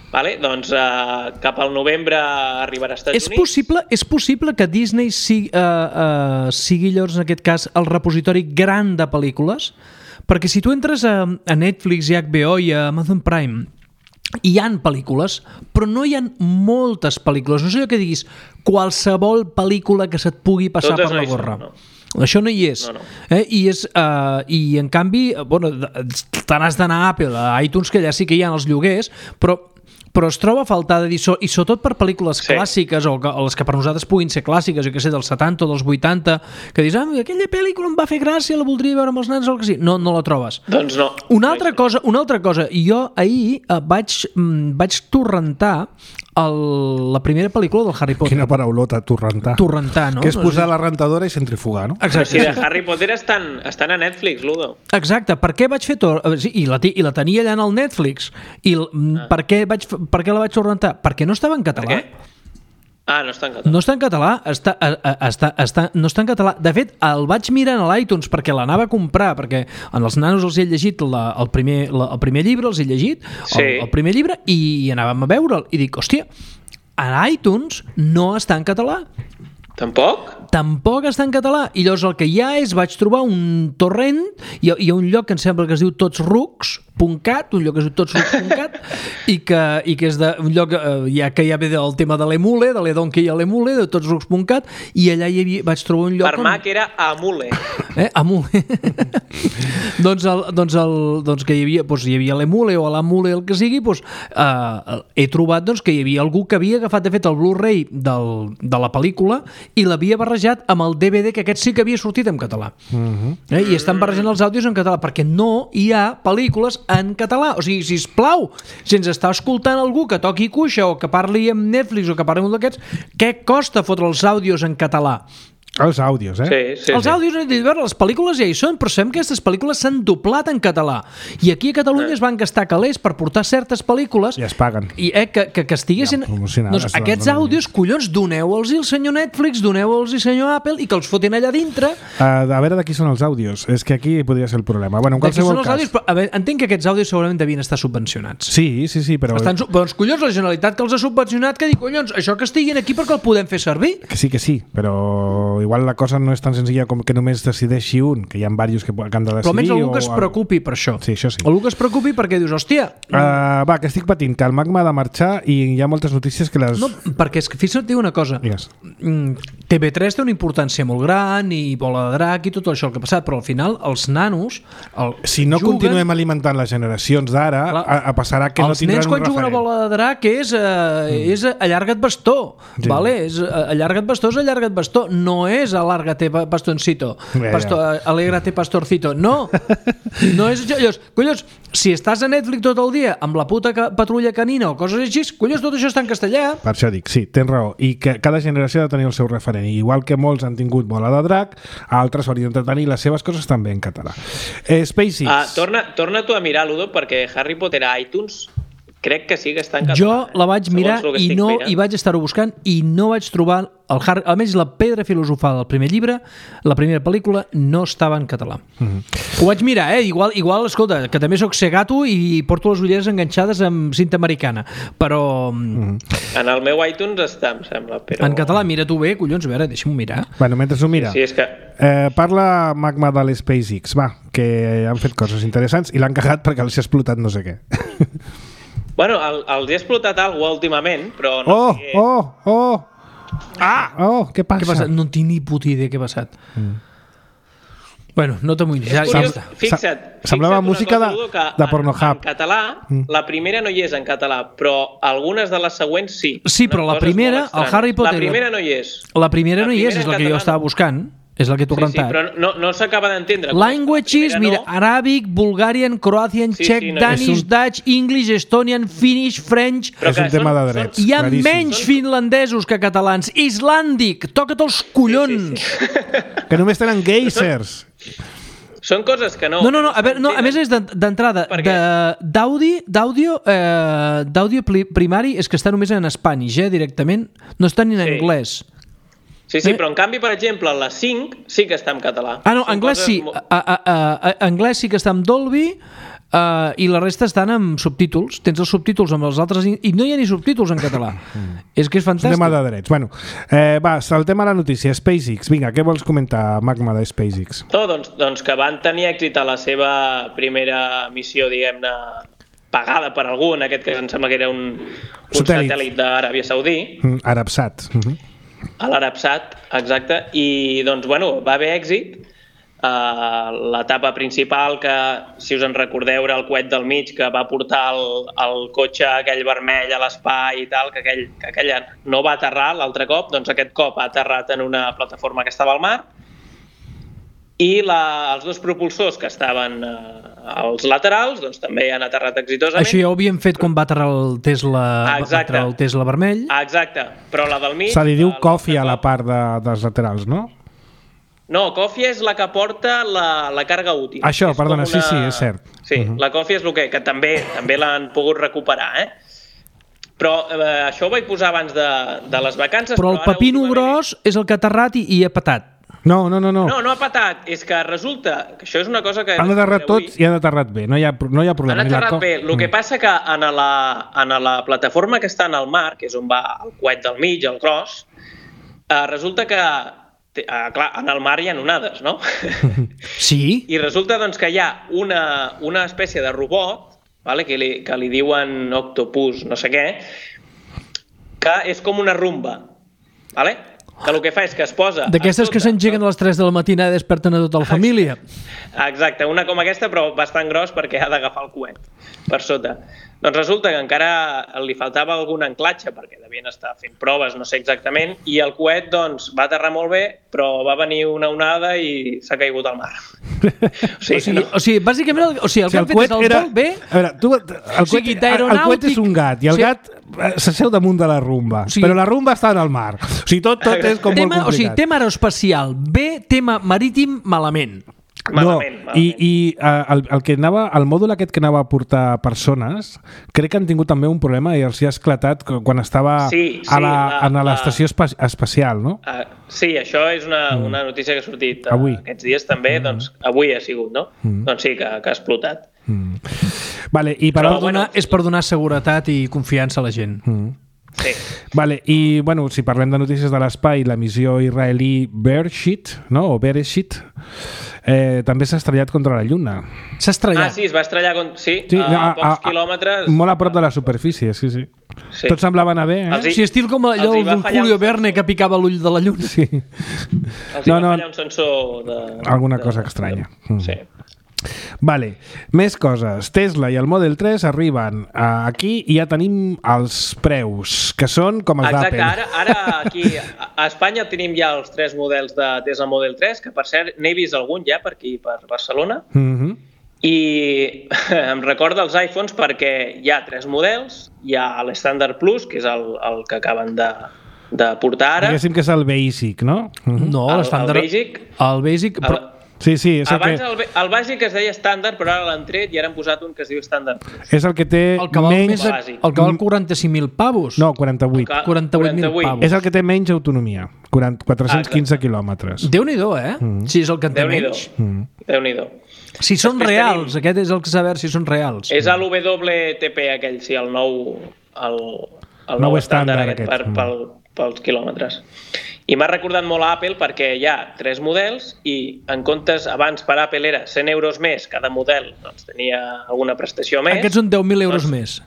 Vale? Doncs cap al novembre arribarà als Estats Units. És possible que Disney sigui llavors, en aquest cas, el repositori gran de pel·lícules? Perquè si tu entres a Netflix i HBO i a Amazon Prime, hi han pel·lícules, però no hi ha moltes pel·lícules. No sé que diguis qualsevol pel·lícula que se't pugui passar per la gorra. Això no hi és. No. I en canvi, te n'has d'anar a Apple, a iTunes, que allà sí que hi ha els lloguers, però es troba a faltar de dir, i sobretot per pel·lícules clàssiques, o les que per nosaltres puguin ser clàssiques, jo que sé, dels 70 o dels 80, que dius, aquella pel·lícula em va fer gràcia, la voldria veure amb els nens o el que sigui. No la trobes. Doncs no. Una altra cosa, jo ahir vaig torrentar la primera pel·lícula del Harry Potter. Quina paraulota, torrentar. Torrentar, no? Que és posar la rentadora i centrifugar, no? Exacte. Sí, de Harry Potter estan a Netflix, Ludo. Exacte. Per què vaig fer I la tenia allà en el Netflix. I per què la vaig torrentar? Perquè no estava en català. Per què? No està en català. No està en català. No està en català. De fet, el vaig mirar a l'iTunes perquè l'anava a comprar, perquè en els nanos els he llegit el primer llibre, els he llegit el primer llibre, i anàvem a veure'l. I dic, hòstia, a iTunes no està en català. Tampoc? Tampoc està en català. I llavors el que hi ha vaig trobar un torrent, hi ha un lloc que em sembla que es diu totsrucs.cat, un lloc que es diu totsrucs.cat, i que és un lloc que ja ve del tema de l'emule, de l'edonkey a l'emule, de totsrucs.cat, i allà vaig trobar un lloc... Per Mac era Amule. Amule. doncs que hi havia l'emule o l'amule, el que sigui, he trobat que hi havia algú que havia agafat, de fet, el Blu-ray de la pel·lícula i l'havia barrejat amb el DVD, que aquest sí que havia sortit en català. I estan barrejant els àudios en català, perquè no hi ha pel·lícules en català. O sigui, sisplau, si ens està escoltant algú que toqui cuixa o que parli amb Netflix o que parli amb un d'aquests, què costa fotre els àudios en català? Els àudios, Els àudios, les pel·lícules ja hi són, però sabem que aquestes pel·lícules s'han doblat en català. I aquí a Catalunya es van gastar calés per portar certes pel·lícules i es paguen. I que estiguessin... Doncs aquests àudios, collons, doneu-los al senyor Netflix, doneu-los al senyor Apple i que els fotin allà dintre. A veure de qui són els àudios. És que aquí podria ser el problema. Bueno, en qualsevol cas... Àudios, però, a veure, entenc que aquests àudios segurament devien estar subvencionats. Sí, però... Doncs, collons, la Generalitat que els ha subvencionat, que diu, collons, això que estiguin aquí perquè el podem fer servir. Que sí, però igual la cosa no és tan senzilla com que només decideixi un, que hi ha diversos que han de decidir. Però almenys algú que es preocupi per això. Sí, això sí. Algú que es preocupi perquè dius, hòstia... Va, que estic patint, que el Magma ha de marxar i hi ha moltes notícies que les... No, perquè és que fixa't, diu una cosa. Digues. TV3 té una importància molt gran i Bola de Drac i tot això el que ha passat, però al final els nanos si no continuem alimentant les generacions d'ara, passarà que no tindran un referent. Els nens quan juguen a Bola de Drac és allarga't bastó, vale? Allarga't bastó és allarga't bastó, no és alárgate bastoncito, alégrate pastorcito, no és allò. Collons, si estàs a Netflix tot el dia amb la puta patrulla canina o coses així, collons, tot això està en castellà. Per això dic, sí, tens raó, i que cada generació ha de tenir el seu referent, i igual que molts han tingut Bola de Drac, altres haurien de tenir les seves coses també en català. SpaceX. Torna tu a mirar, Ludo, perquè Harry Potter a iTunes crec que sí que està en català. Jo la vaig mirar i vaig estar-ho buscant i no vaig trobar almenys la pedra filosofal del primer llibre, la primera pel·lícula, no estava en català. Ho vaig mirar, igual, escolta, que també soc cegato i porto les ulleres enganxades amb cinta americana, però... En el meu iTunes està, em sembla, però... En català, mira tu bé, collons, a veure, deixa'm mirar. Bueno, mentre ho mira. Sí, és que... Parla Magma de l'SpaceX, que han fet coses interessants i l'han cagat perquè els ha explotat no sé què. Bueno, els he explotat alguna últimament, però no sé... Què passa? No tinc ni puta idea què ha passat. Bueno, no t'amoïnis. Fixa't. Semblava música de Pornhub. En català, la primera no hi és en català, però algunes de les següents sí. Sí, però la primera, el Harry Potter... La primera no hi és. La primera no hi és la que jo estava buscant. És la que t'ho rentat. Sí, però no s'acaba d'entendre. Languages, mira, Arabic, Bulgarian, Croatian, Czech, Danish, Dutch, English, Estonian, Finnish, French... És un tema de drets. Hi ha menys finlandesos que catalans. Islàndic, toca't els collons! Que només tenen geysers. Són coses que no... No, a més és d'entrada. D'àudio primari és que està només en espany, directament. No està ni en anglès. Sí, però en canvi, per exemple, la 5 sí que està en català. No, anglès sí. Anglès sí que està en Dolby i la resta estan amb subtítols. Tens els subtítols amb els altres i no hi ha ni subtítols en català. És que és fantàstic. És un tema de drets. Bueno, saltem a la notícia. SpaceX. Vinga, què vols comentar, Magma, de SpaceX? Doncs que van tenir èxit a la seva primera missió, diguem-ne, pagada per algú, en aquest cas em sembla que era un satèl·lit d'Aràbia Saudí. Arabsat. A l'Arabsat, exacte, i doncs, bueno, va haver èxit. L'etapa principal, que si us en recordeu era el coet del mig, que va portar el cotxe aquell vermell a l'espai i tal, que aquella no va aterrar l'altre cop, doncs aquest cop ha aterrat en una plataforma que estava al mar, i els dos propulsors que estaven als laterals doncs també han aterrat exitosament. Això ja ho havíem fet quan va aterrar el Tesla vermell. Exacte, però la del mig... Se li diu Coffee a la part dels laterals, no? No, Coffee és la que porta la càrrega útil. Això, perdona, sí, és cert. Sí, la Coffee és el que també l'han pogut recuperar, Però això ho vaig posar abans de les vacances. Però el pepino gros és el que ha aterrat i ha patat. No. No ha patat. És que resulta que això és una cosa que... Han aterrat tots i han aterrat bé. No hi ha problema. Han aterrat bé. El que passa que en la plataforma que està en el mar, que és on va el coet del mig, el gros, resulta que clar, en el mar hi ha onades, no? Sí. I resulta doncs, que hi ha una espècie de robot, vale, que li diuen octopus, no sé què, que és com una rumba, vale? que el que fa és que es posa... D'aquestes que s'engeguen a les 3 de la matina i desperten a tota la família. Exacte, una com aquesta, però bastant gros perquè ha d'agafar el coet per sota. Doncs resulta que encara li faltava algun anclatge perquè devien estar fent proves, no sé exactament, i el coet doncs, va aterrar molt bé, però va venir una onada i s'ha caigut al mar. O sigui, bàsicament, el que han fet és el vol bé... A veure, el coet és un gat, i el gat s'asseu damunt de la rumba, però la rumba està en el mar. O sigui, tot és com molt complicat. O sigui, tema aeroespacial bé, tema marítim malament. Malament. I el mòdul aquest que anava a portar persones, crec que han tingut també un problema i els hi ha esclatat quan estava a l'estació espacial, no? Sí, això és una notícia que ha sortit aquests dies també, doncs avui ha sigut, no? Doncs sí, que ha explotat. Vale, i és per donar seguretat i confiança a la gent. Sí. Vale, i bueno, si parlem de notícies de l'espai, la missió israelí Bereshit, no? O Bereshit, també s'ha estrellat contra la Lluna. S'ha estrellat? Sí, es va estrellar a pocs quilòmetres. Molt a prop de la superfície, sí. Tot semblava anar bé, Sí, estil com allò del Julio Verne que picava l'ull de la Lluna. Sí. Els va fallar un sensor de... Alguna cosa estranya. Sí. Vale, més coses. Tesla i el Model 3 arriben aquí i ja tenim els preus, que són com els d'Apple. Exacte, ara aquí a Espanya tenim ja els 3 models de Tesla Model 3, que per cert n'he vist algun ja per aquí, per Barcelona, i em recorda els iPhones perquè hi ha 3 models, hi ha l'Standard Plus, que és el que acaben de portar ara. Diguéssim que és el Basic, no? No, l'Standard... El Basic... Sí, és abans el bàsic es deia estàndard, però ara l'han tret i ara han posat un que es diu estàndard. És el que té menys... El que val 45.000 pavos. No, 48. 48.000 pavos. És el que té menys autonomia, 415 quilòmetres. Déu-n'hi-do, Si és el que en té menys. Déu-n'hi-do. Si són reals, aquest és el que saber si són reals. És l'WTP aquell, sí, el nou estàndard aquest pels quilòmetres. I m'ha recordat molt a Apple perquè hi ha 3 models i en comptes, abans per Apple era 100 euros més, cada model doncs, tenia alguna prestació més. Aquests són 10.000 euros més.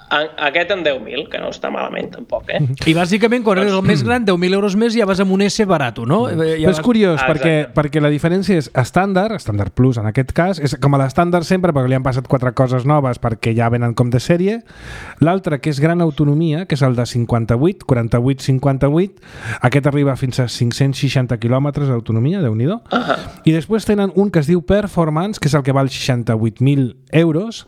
Aquest en 10.000, que no està malament tampoc, I bàsicament quan eres el més gran, 10.000 euros més ja vas amb un S barat, no? Però és curiós perquè la diferència és estàndard Plus en aquest cas, és com a l'estàndard sempre perquè li han passat 4 coses noves perquè ja venen com de sèrie. L'altre que és gran autonomia, que és el de 58, 48, aquest arriba fins a 560 quilòmetres d'autonomia, Déu-n'hi-do. I després tenen un que es diu Performance, que és el que val 68.000 euros,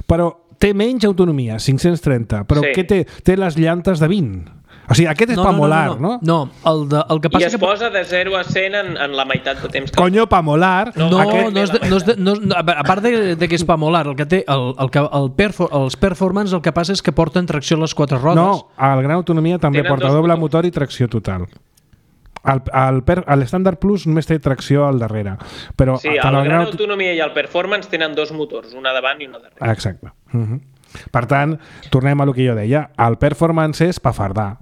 però té menys autonomia, 530. Però què té? Té les llantes de 20. O sigui, aquest és pa molar, no? No, el que passa... I es posa de 0 a 100 en la meitat de temps. Conyo, pa molar. A part de que és pa molar, el que té els Performance, el que passa és que porten tracció a les 4 rodes. No, el gran autonomia també porta doble motor i tracció total. L'Standard Plus només té tracció al darrere. Però sí, el gran autonomia i el Performance tenen 2 motors, una davant i una darrere. Exacte. Per tant, tornem a lo que jo deia. El Performance és pa fardar.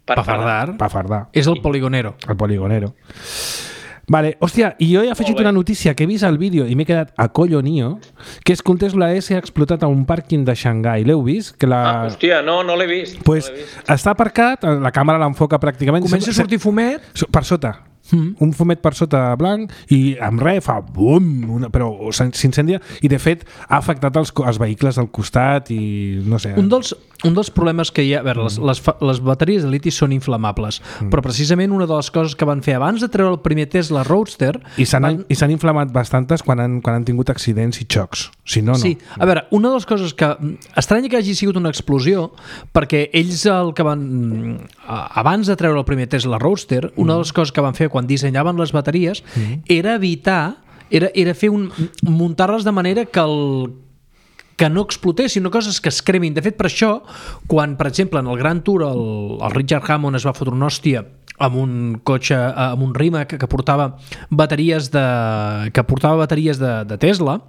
Pa fardar. És el poligonero. El poligonero. Vale, hòstia, i jo he afegit una notícia que he vist al vídeo i m'he quedat acollonio, que és que un Tesla S ha explotat a un pàrquing de Xangai. L'heu vist? Hòstia, no l'he vist. Pues està aparcat, la càmera l'enfoca pràcticament... Comença a sortir fumet? Per sota. Un fumet per sota blanc i amb res fa bum, però s'incendia i de fet ha afectat els vehicles al costat i no sé. Un dels problemes que hi ha, a veure, les bateries de liti són inflamables, però precisament una de les coses que van fer abans de treure el primer Tesla Roadster i s'han inflamat bastantes quan han tingut accidents i xocs, si no, no. Sí, a veure, una de les coses que estranya que hagi sigut una explosió, perquè ells el que van abans de treure el primer Tesla Roadster, una de les coses que van fer quan dissenyaven les bateries era evitar, era fer muntar-les de manera que no explotessin, no coses que es cremin. De fet, per això, quan, per exemple, en el Grand Tour el Richard Hammond es va fotre una hòstia amb un cotxe, amb un Rimac que portava bateries de Tesla,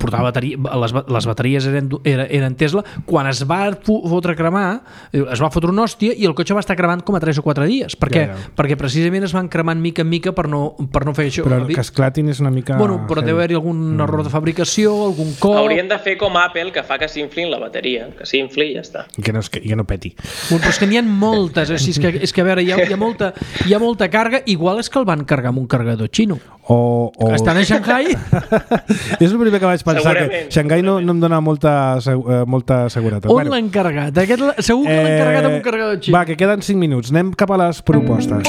portava les bateries eren Tesla, quan es va fotre a cremar, es va fotre una hòstia i el cotxe va estar cremant com a 3 o 4 dies. Per què? Perquè precisament es van cremant mica en mica per no fer això. Però que esclatin és una mica... Bueno, però deu haver-hi algun error de fabricació, algun cop... Haurien de fer com Apple, que fa que s'inflin la bateria, que s'infli i ja està. Que no peti. Bueno, però és que n'hi ha moltes, és que a veure, hi ha molta càrrega. Igual és que el van carregar amb un carregador xino. Estan a Shanghai. És el primer que vaig pensar, que Shanghai no em dona molta seguretat. On l'han carregat? Segur que l'han carregat amb un carregador xino. Va, que queden 5 minuts. Anem cap a les propostes.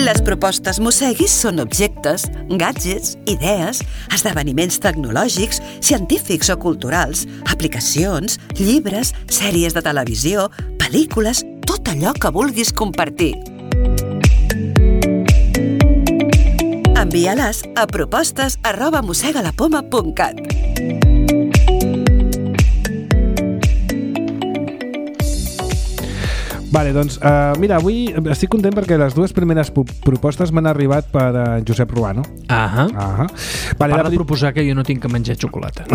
Les propostes Mosseguis són objectes, gadgets, idees, esdeveniments tecnològics, científics o culturals, aplicacions, llibres, sèries de televisió, pel·lícules, tot allò que vulguis compartir. Envia-les a propostes@mossegalapoma.cat. Vale, doncs, mira, avui estic content perquè les dues primeres propostes m'han arribat per Josep Ruano. Vale, de proposar que jo no tinc que menjar xocolata.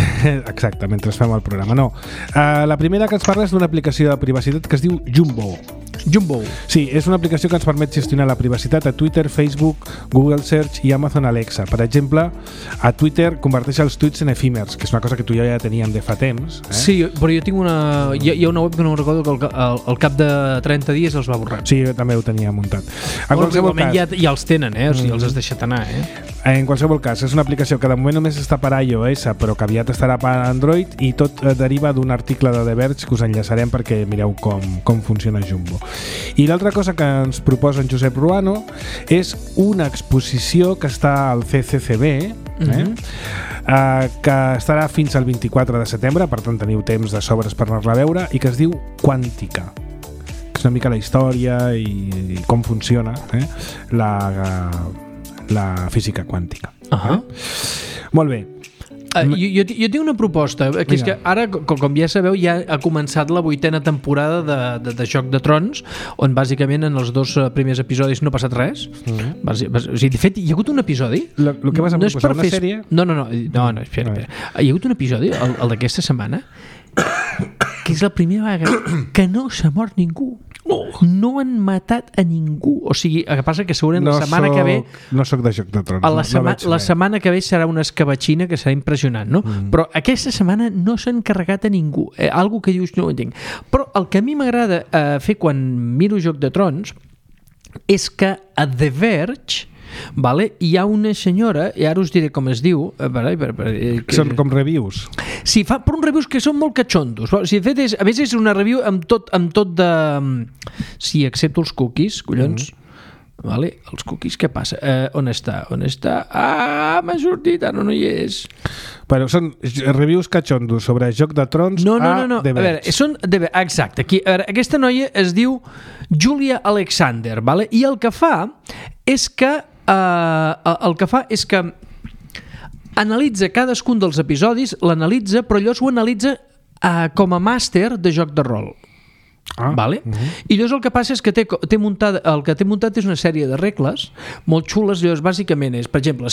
Exacte, mentre fem el programa. No. La primera que ens parla és d'una aplicació de privacitat que es diu Jumbo. Sí, és una aplicació que ens permet gestionar la privacitat a Twitter, Facebook, Google Search i Amazon Alexa. Per exemple, a Twitter converteix els tuits en efímers, que és una cosa que tu i jo ja teníem de fa temps. Sí, però jo tinc hi ha una web que no recordo que al cap de 30 dies els va borrar. Sí, jo també ho tenia muntat. En qualsevol cas, ja els tenen, o sigui, els has deixat anar. En qualsevol cas, és una aplicació que de moment només està per iOS, però que aviat estarà per Android, i tot deriva d'un article de The Verge que us enllaçarem perquè mireu com funciona Jumbo. I l'altra cosa que ens proposa en Josep Ruano és una exposició que està al CCCB, que estarà fins al 24 de setembre, per tant teniu temps de sobres per anar-la a veure, i que es diu Quàntica. És una mica la història i com funciona la física quàntica. Molt bé. Jo tinc una proposta, que és que ara, com ja sabeu, ja ha començat la 8ª temporada de Joc de Trons, on bàsicament en els 2 primers episodis no ha passat res. O sigui, de fet, hi ha hagut un episodi... El que vas a proposar, una sèrie? No, espera. Hi ha hagut un episodi, el d'aquesta setmana, que és la primera vegada que no s'ha mort ningú. No han matat a ningú. O sigui, el que passa que segurament la setmana que ve... No soc de Joc de Trons. La setmana que ve serà una escabatxina que serà impressionant, no? Però aquesta setmana no s'han carregat a ningú. Algo que dius, no ho entenc. Però el que a mi m'agrada fer quan miro Joc de Trons és que a The Verge hi ha una senyora, i ara us diré com es diu, són com reviews. Sí, fa per uns reviews que són molt catxondos. Si de fet a més és una review amb tot de... Sí, excepto els cookies, collons. Els cookies, què passa? On està? M'ha sortit, ara no hi és. Però són reviews catxondos sobre Joc de Trons no. The Verge. A veure, són exacte. Aquí, aquesta noia es diu Julia Alexander, i el que fa és que analitza cadascun dels episodis, l'analitza, però llavors ho analitza com a màster de joc de rol. I llavors el que passa és que el que té muntat és una sèrie de regles molt xules. Llavors bàsicament és, per exemple,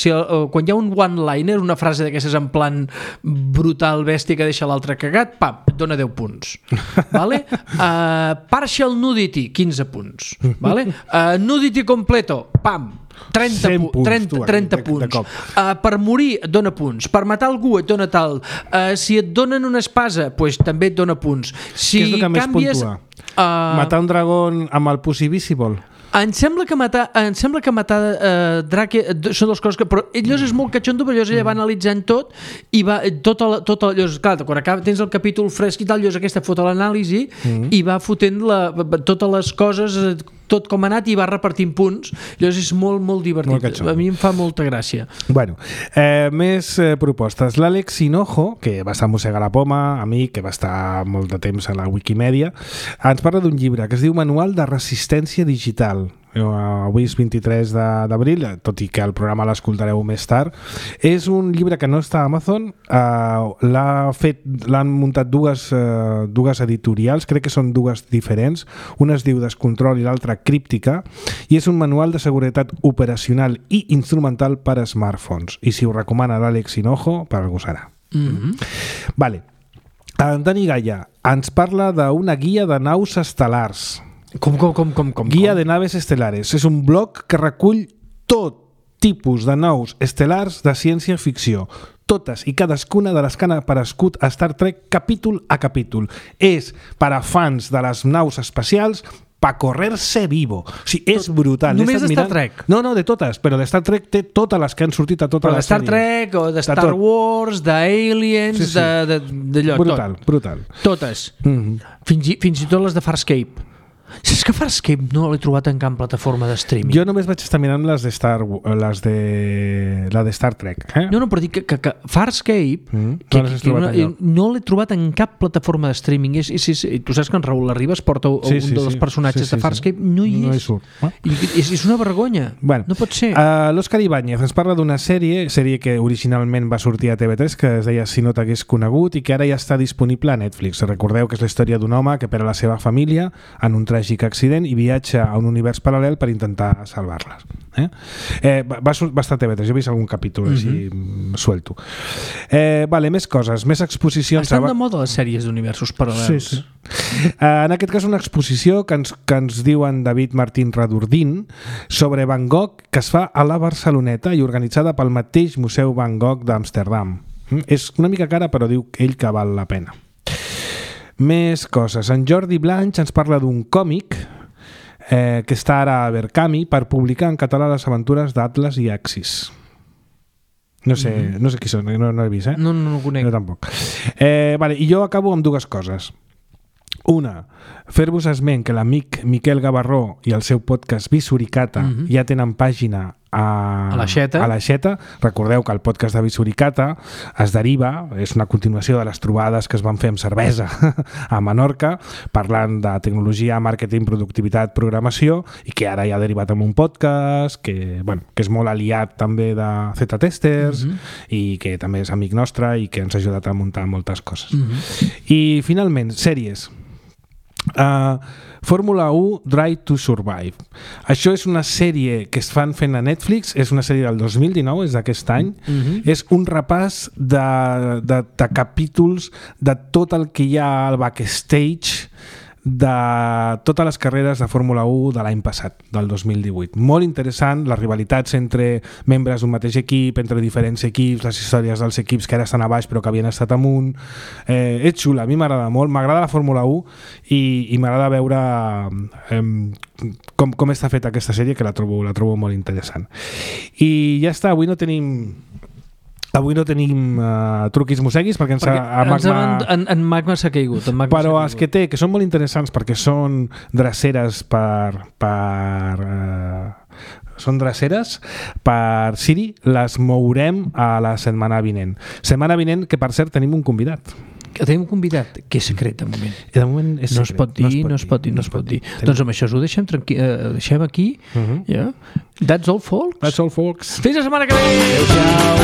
quan hi ha un one-liner, una frase d'aquestes en plan brutal, bèstia, que deixa l'altre cagat, pam, et dona 10 punts. Partial nudity, 15 punts. Nudity completo, pam, 30 punts. Per morir et dona punts, per matar algú et dona tal, si et donen una espasa també et dona punts. Què és el que més puntua? Matar un dragó amb el Pussy Visible? Em sembla que matar Drake són dues coses que... Però llavors és molt catxondo, però llavors ella va analitzant tot i va... Llavors, clar, quan tens el capítol fresc i tal, llavors aquesta fot l'anàlisi i va fotent totes les coses, tot com ha anat, i va repartint punts. Llavors és molt, molt divertit. A mi em fa molta gràcia. Bueno, més propostes. L'Àlex Hinojo, que va estar a Mossegar la Poma, amic, que va estar molt de temps a la Wikimedia, ens parla d'un llibre que es diu Manual de Resistència Digital. Avui és 23 d'abril, tot i que el programa l'escoltareu més tard. És un llibre que no està a Amazon, l'han muntat dues editorials, crec que són dues diferents, una es diu Descontrol i l'altra Críptica, i és un manual de seguretat operacional i instrumental per a smartphones, i si ho recomana l'Àlex Hinojo, per algú serà. Vale. En Dani Gaia ens parla d'una guia de naus estel·lars. Com? Guia de naves estelares. És un blog que recull tot tipus de nous estel·lars de ciència-ficció. Totes i cadascuna de les que han aparegut a Star Trek capítol a capítol. És per a fans de les naus espacials pa correrse vivo. O sigui, és brutal. Només de Star Trek? No, de totes, però de Star Trek té totes les que han sortit a tota la sèrie. De Star Trek o de Star Wars, d'Aliens, d'allò. Brutal. Totes. Fins i tot les de Farscape. Saps que Farscape no l'he trobat en cap plataforma de streaming? Jo només vaig estar mirant la de Star Trek. No, però dic que Farscape no l'he trobat en cap plataforma de streaming. Tu saps que en Raül Arribas porta un dels personatges de Farscape, no hi surt. És una vergonya. No pot ser. L'Òscar Ibáñez ens parla d'una sèrie que originalment va sortir a TV3, que es deia Si no t'hagués conegut, i que ara ja està disponible a Netflix. Recordeu que és la història d'un home que perd la seva família en un tràgic accident i viatja a un univers paral·lel per intentar salvar-les. Va estar a TV3, jo he vist algun capítol així suelto. Més coses, més exposicions. Estan de moda les sèries d'universos paral·lels. Sí. En aquest cas una exposició que ens diu en David Martín Radurdín sobre Van Gogh, que es fa a la Barceloneta i organitzada pel mateix Museu Van Gogh d'Amsterdam. És una mica cara, però diu ell que val la pena. Més coses. En Jordi Blanch ens parla d'un còmic que està ara a Berkami per publicar en català les aventures d'Atlas i Axis. No sé qui són, no he vist, No ho conec. Jo tampoc. I jo acabo amb dues coses. Una, fer-vos esment que l'amic Miquel Gavarró i el seu podcast Visuricata ja tenen pàgina a l'Aixeta. Recordeu que el podcast de Visuricata es deriva, és una continuació de les trobades que es van fer amb cervesa a Menorca, parlant de tecnologia, màrqueting, productivitat, programació, i que ara ja ha derivat en un podcast que és molt aliat també de Z-Testers i que també és amic nostre i que ens ha ajudat a muntar moltes coses. I finalment, sèries. Fórmula 1 Drive to Survive. Això és una sèrie que es fan fent a Netflix, és una sèrie del 2019, és d'aquest any. És un repàs de capítols de tot el que hi ha al backstage de totes les carreres de Fórmula 1 de l'any passat, del 2018. Molt interessant, les rivalitats entre membres d'un mateix equip, entre diferents equips, les històries dels equips que ara estan a baix però que havien estat amunt. És xula, a mi m'agrada molt, m'agrada la Fórmula 1 i m'agrada veure com està feta aquesta sèrie, que la trobo molt interessant. I ja està, avui no tenim truquis mosseguis perquè en Magma s'ha caigut. Però els que té, que són molt interessants perquè són dreceres per Siri, les mourem a la setmana vinent. Setmana vinent que, per cert, tenim un convidat. Tenim un convidat que és secret de moment. De moment és secret. No es pot dir. Doncs amb això ho deixem aquí. That's all, folks. That's all, folks. Fins la setmana que ve. Adéu-siau.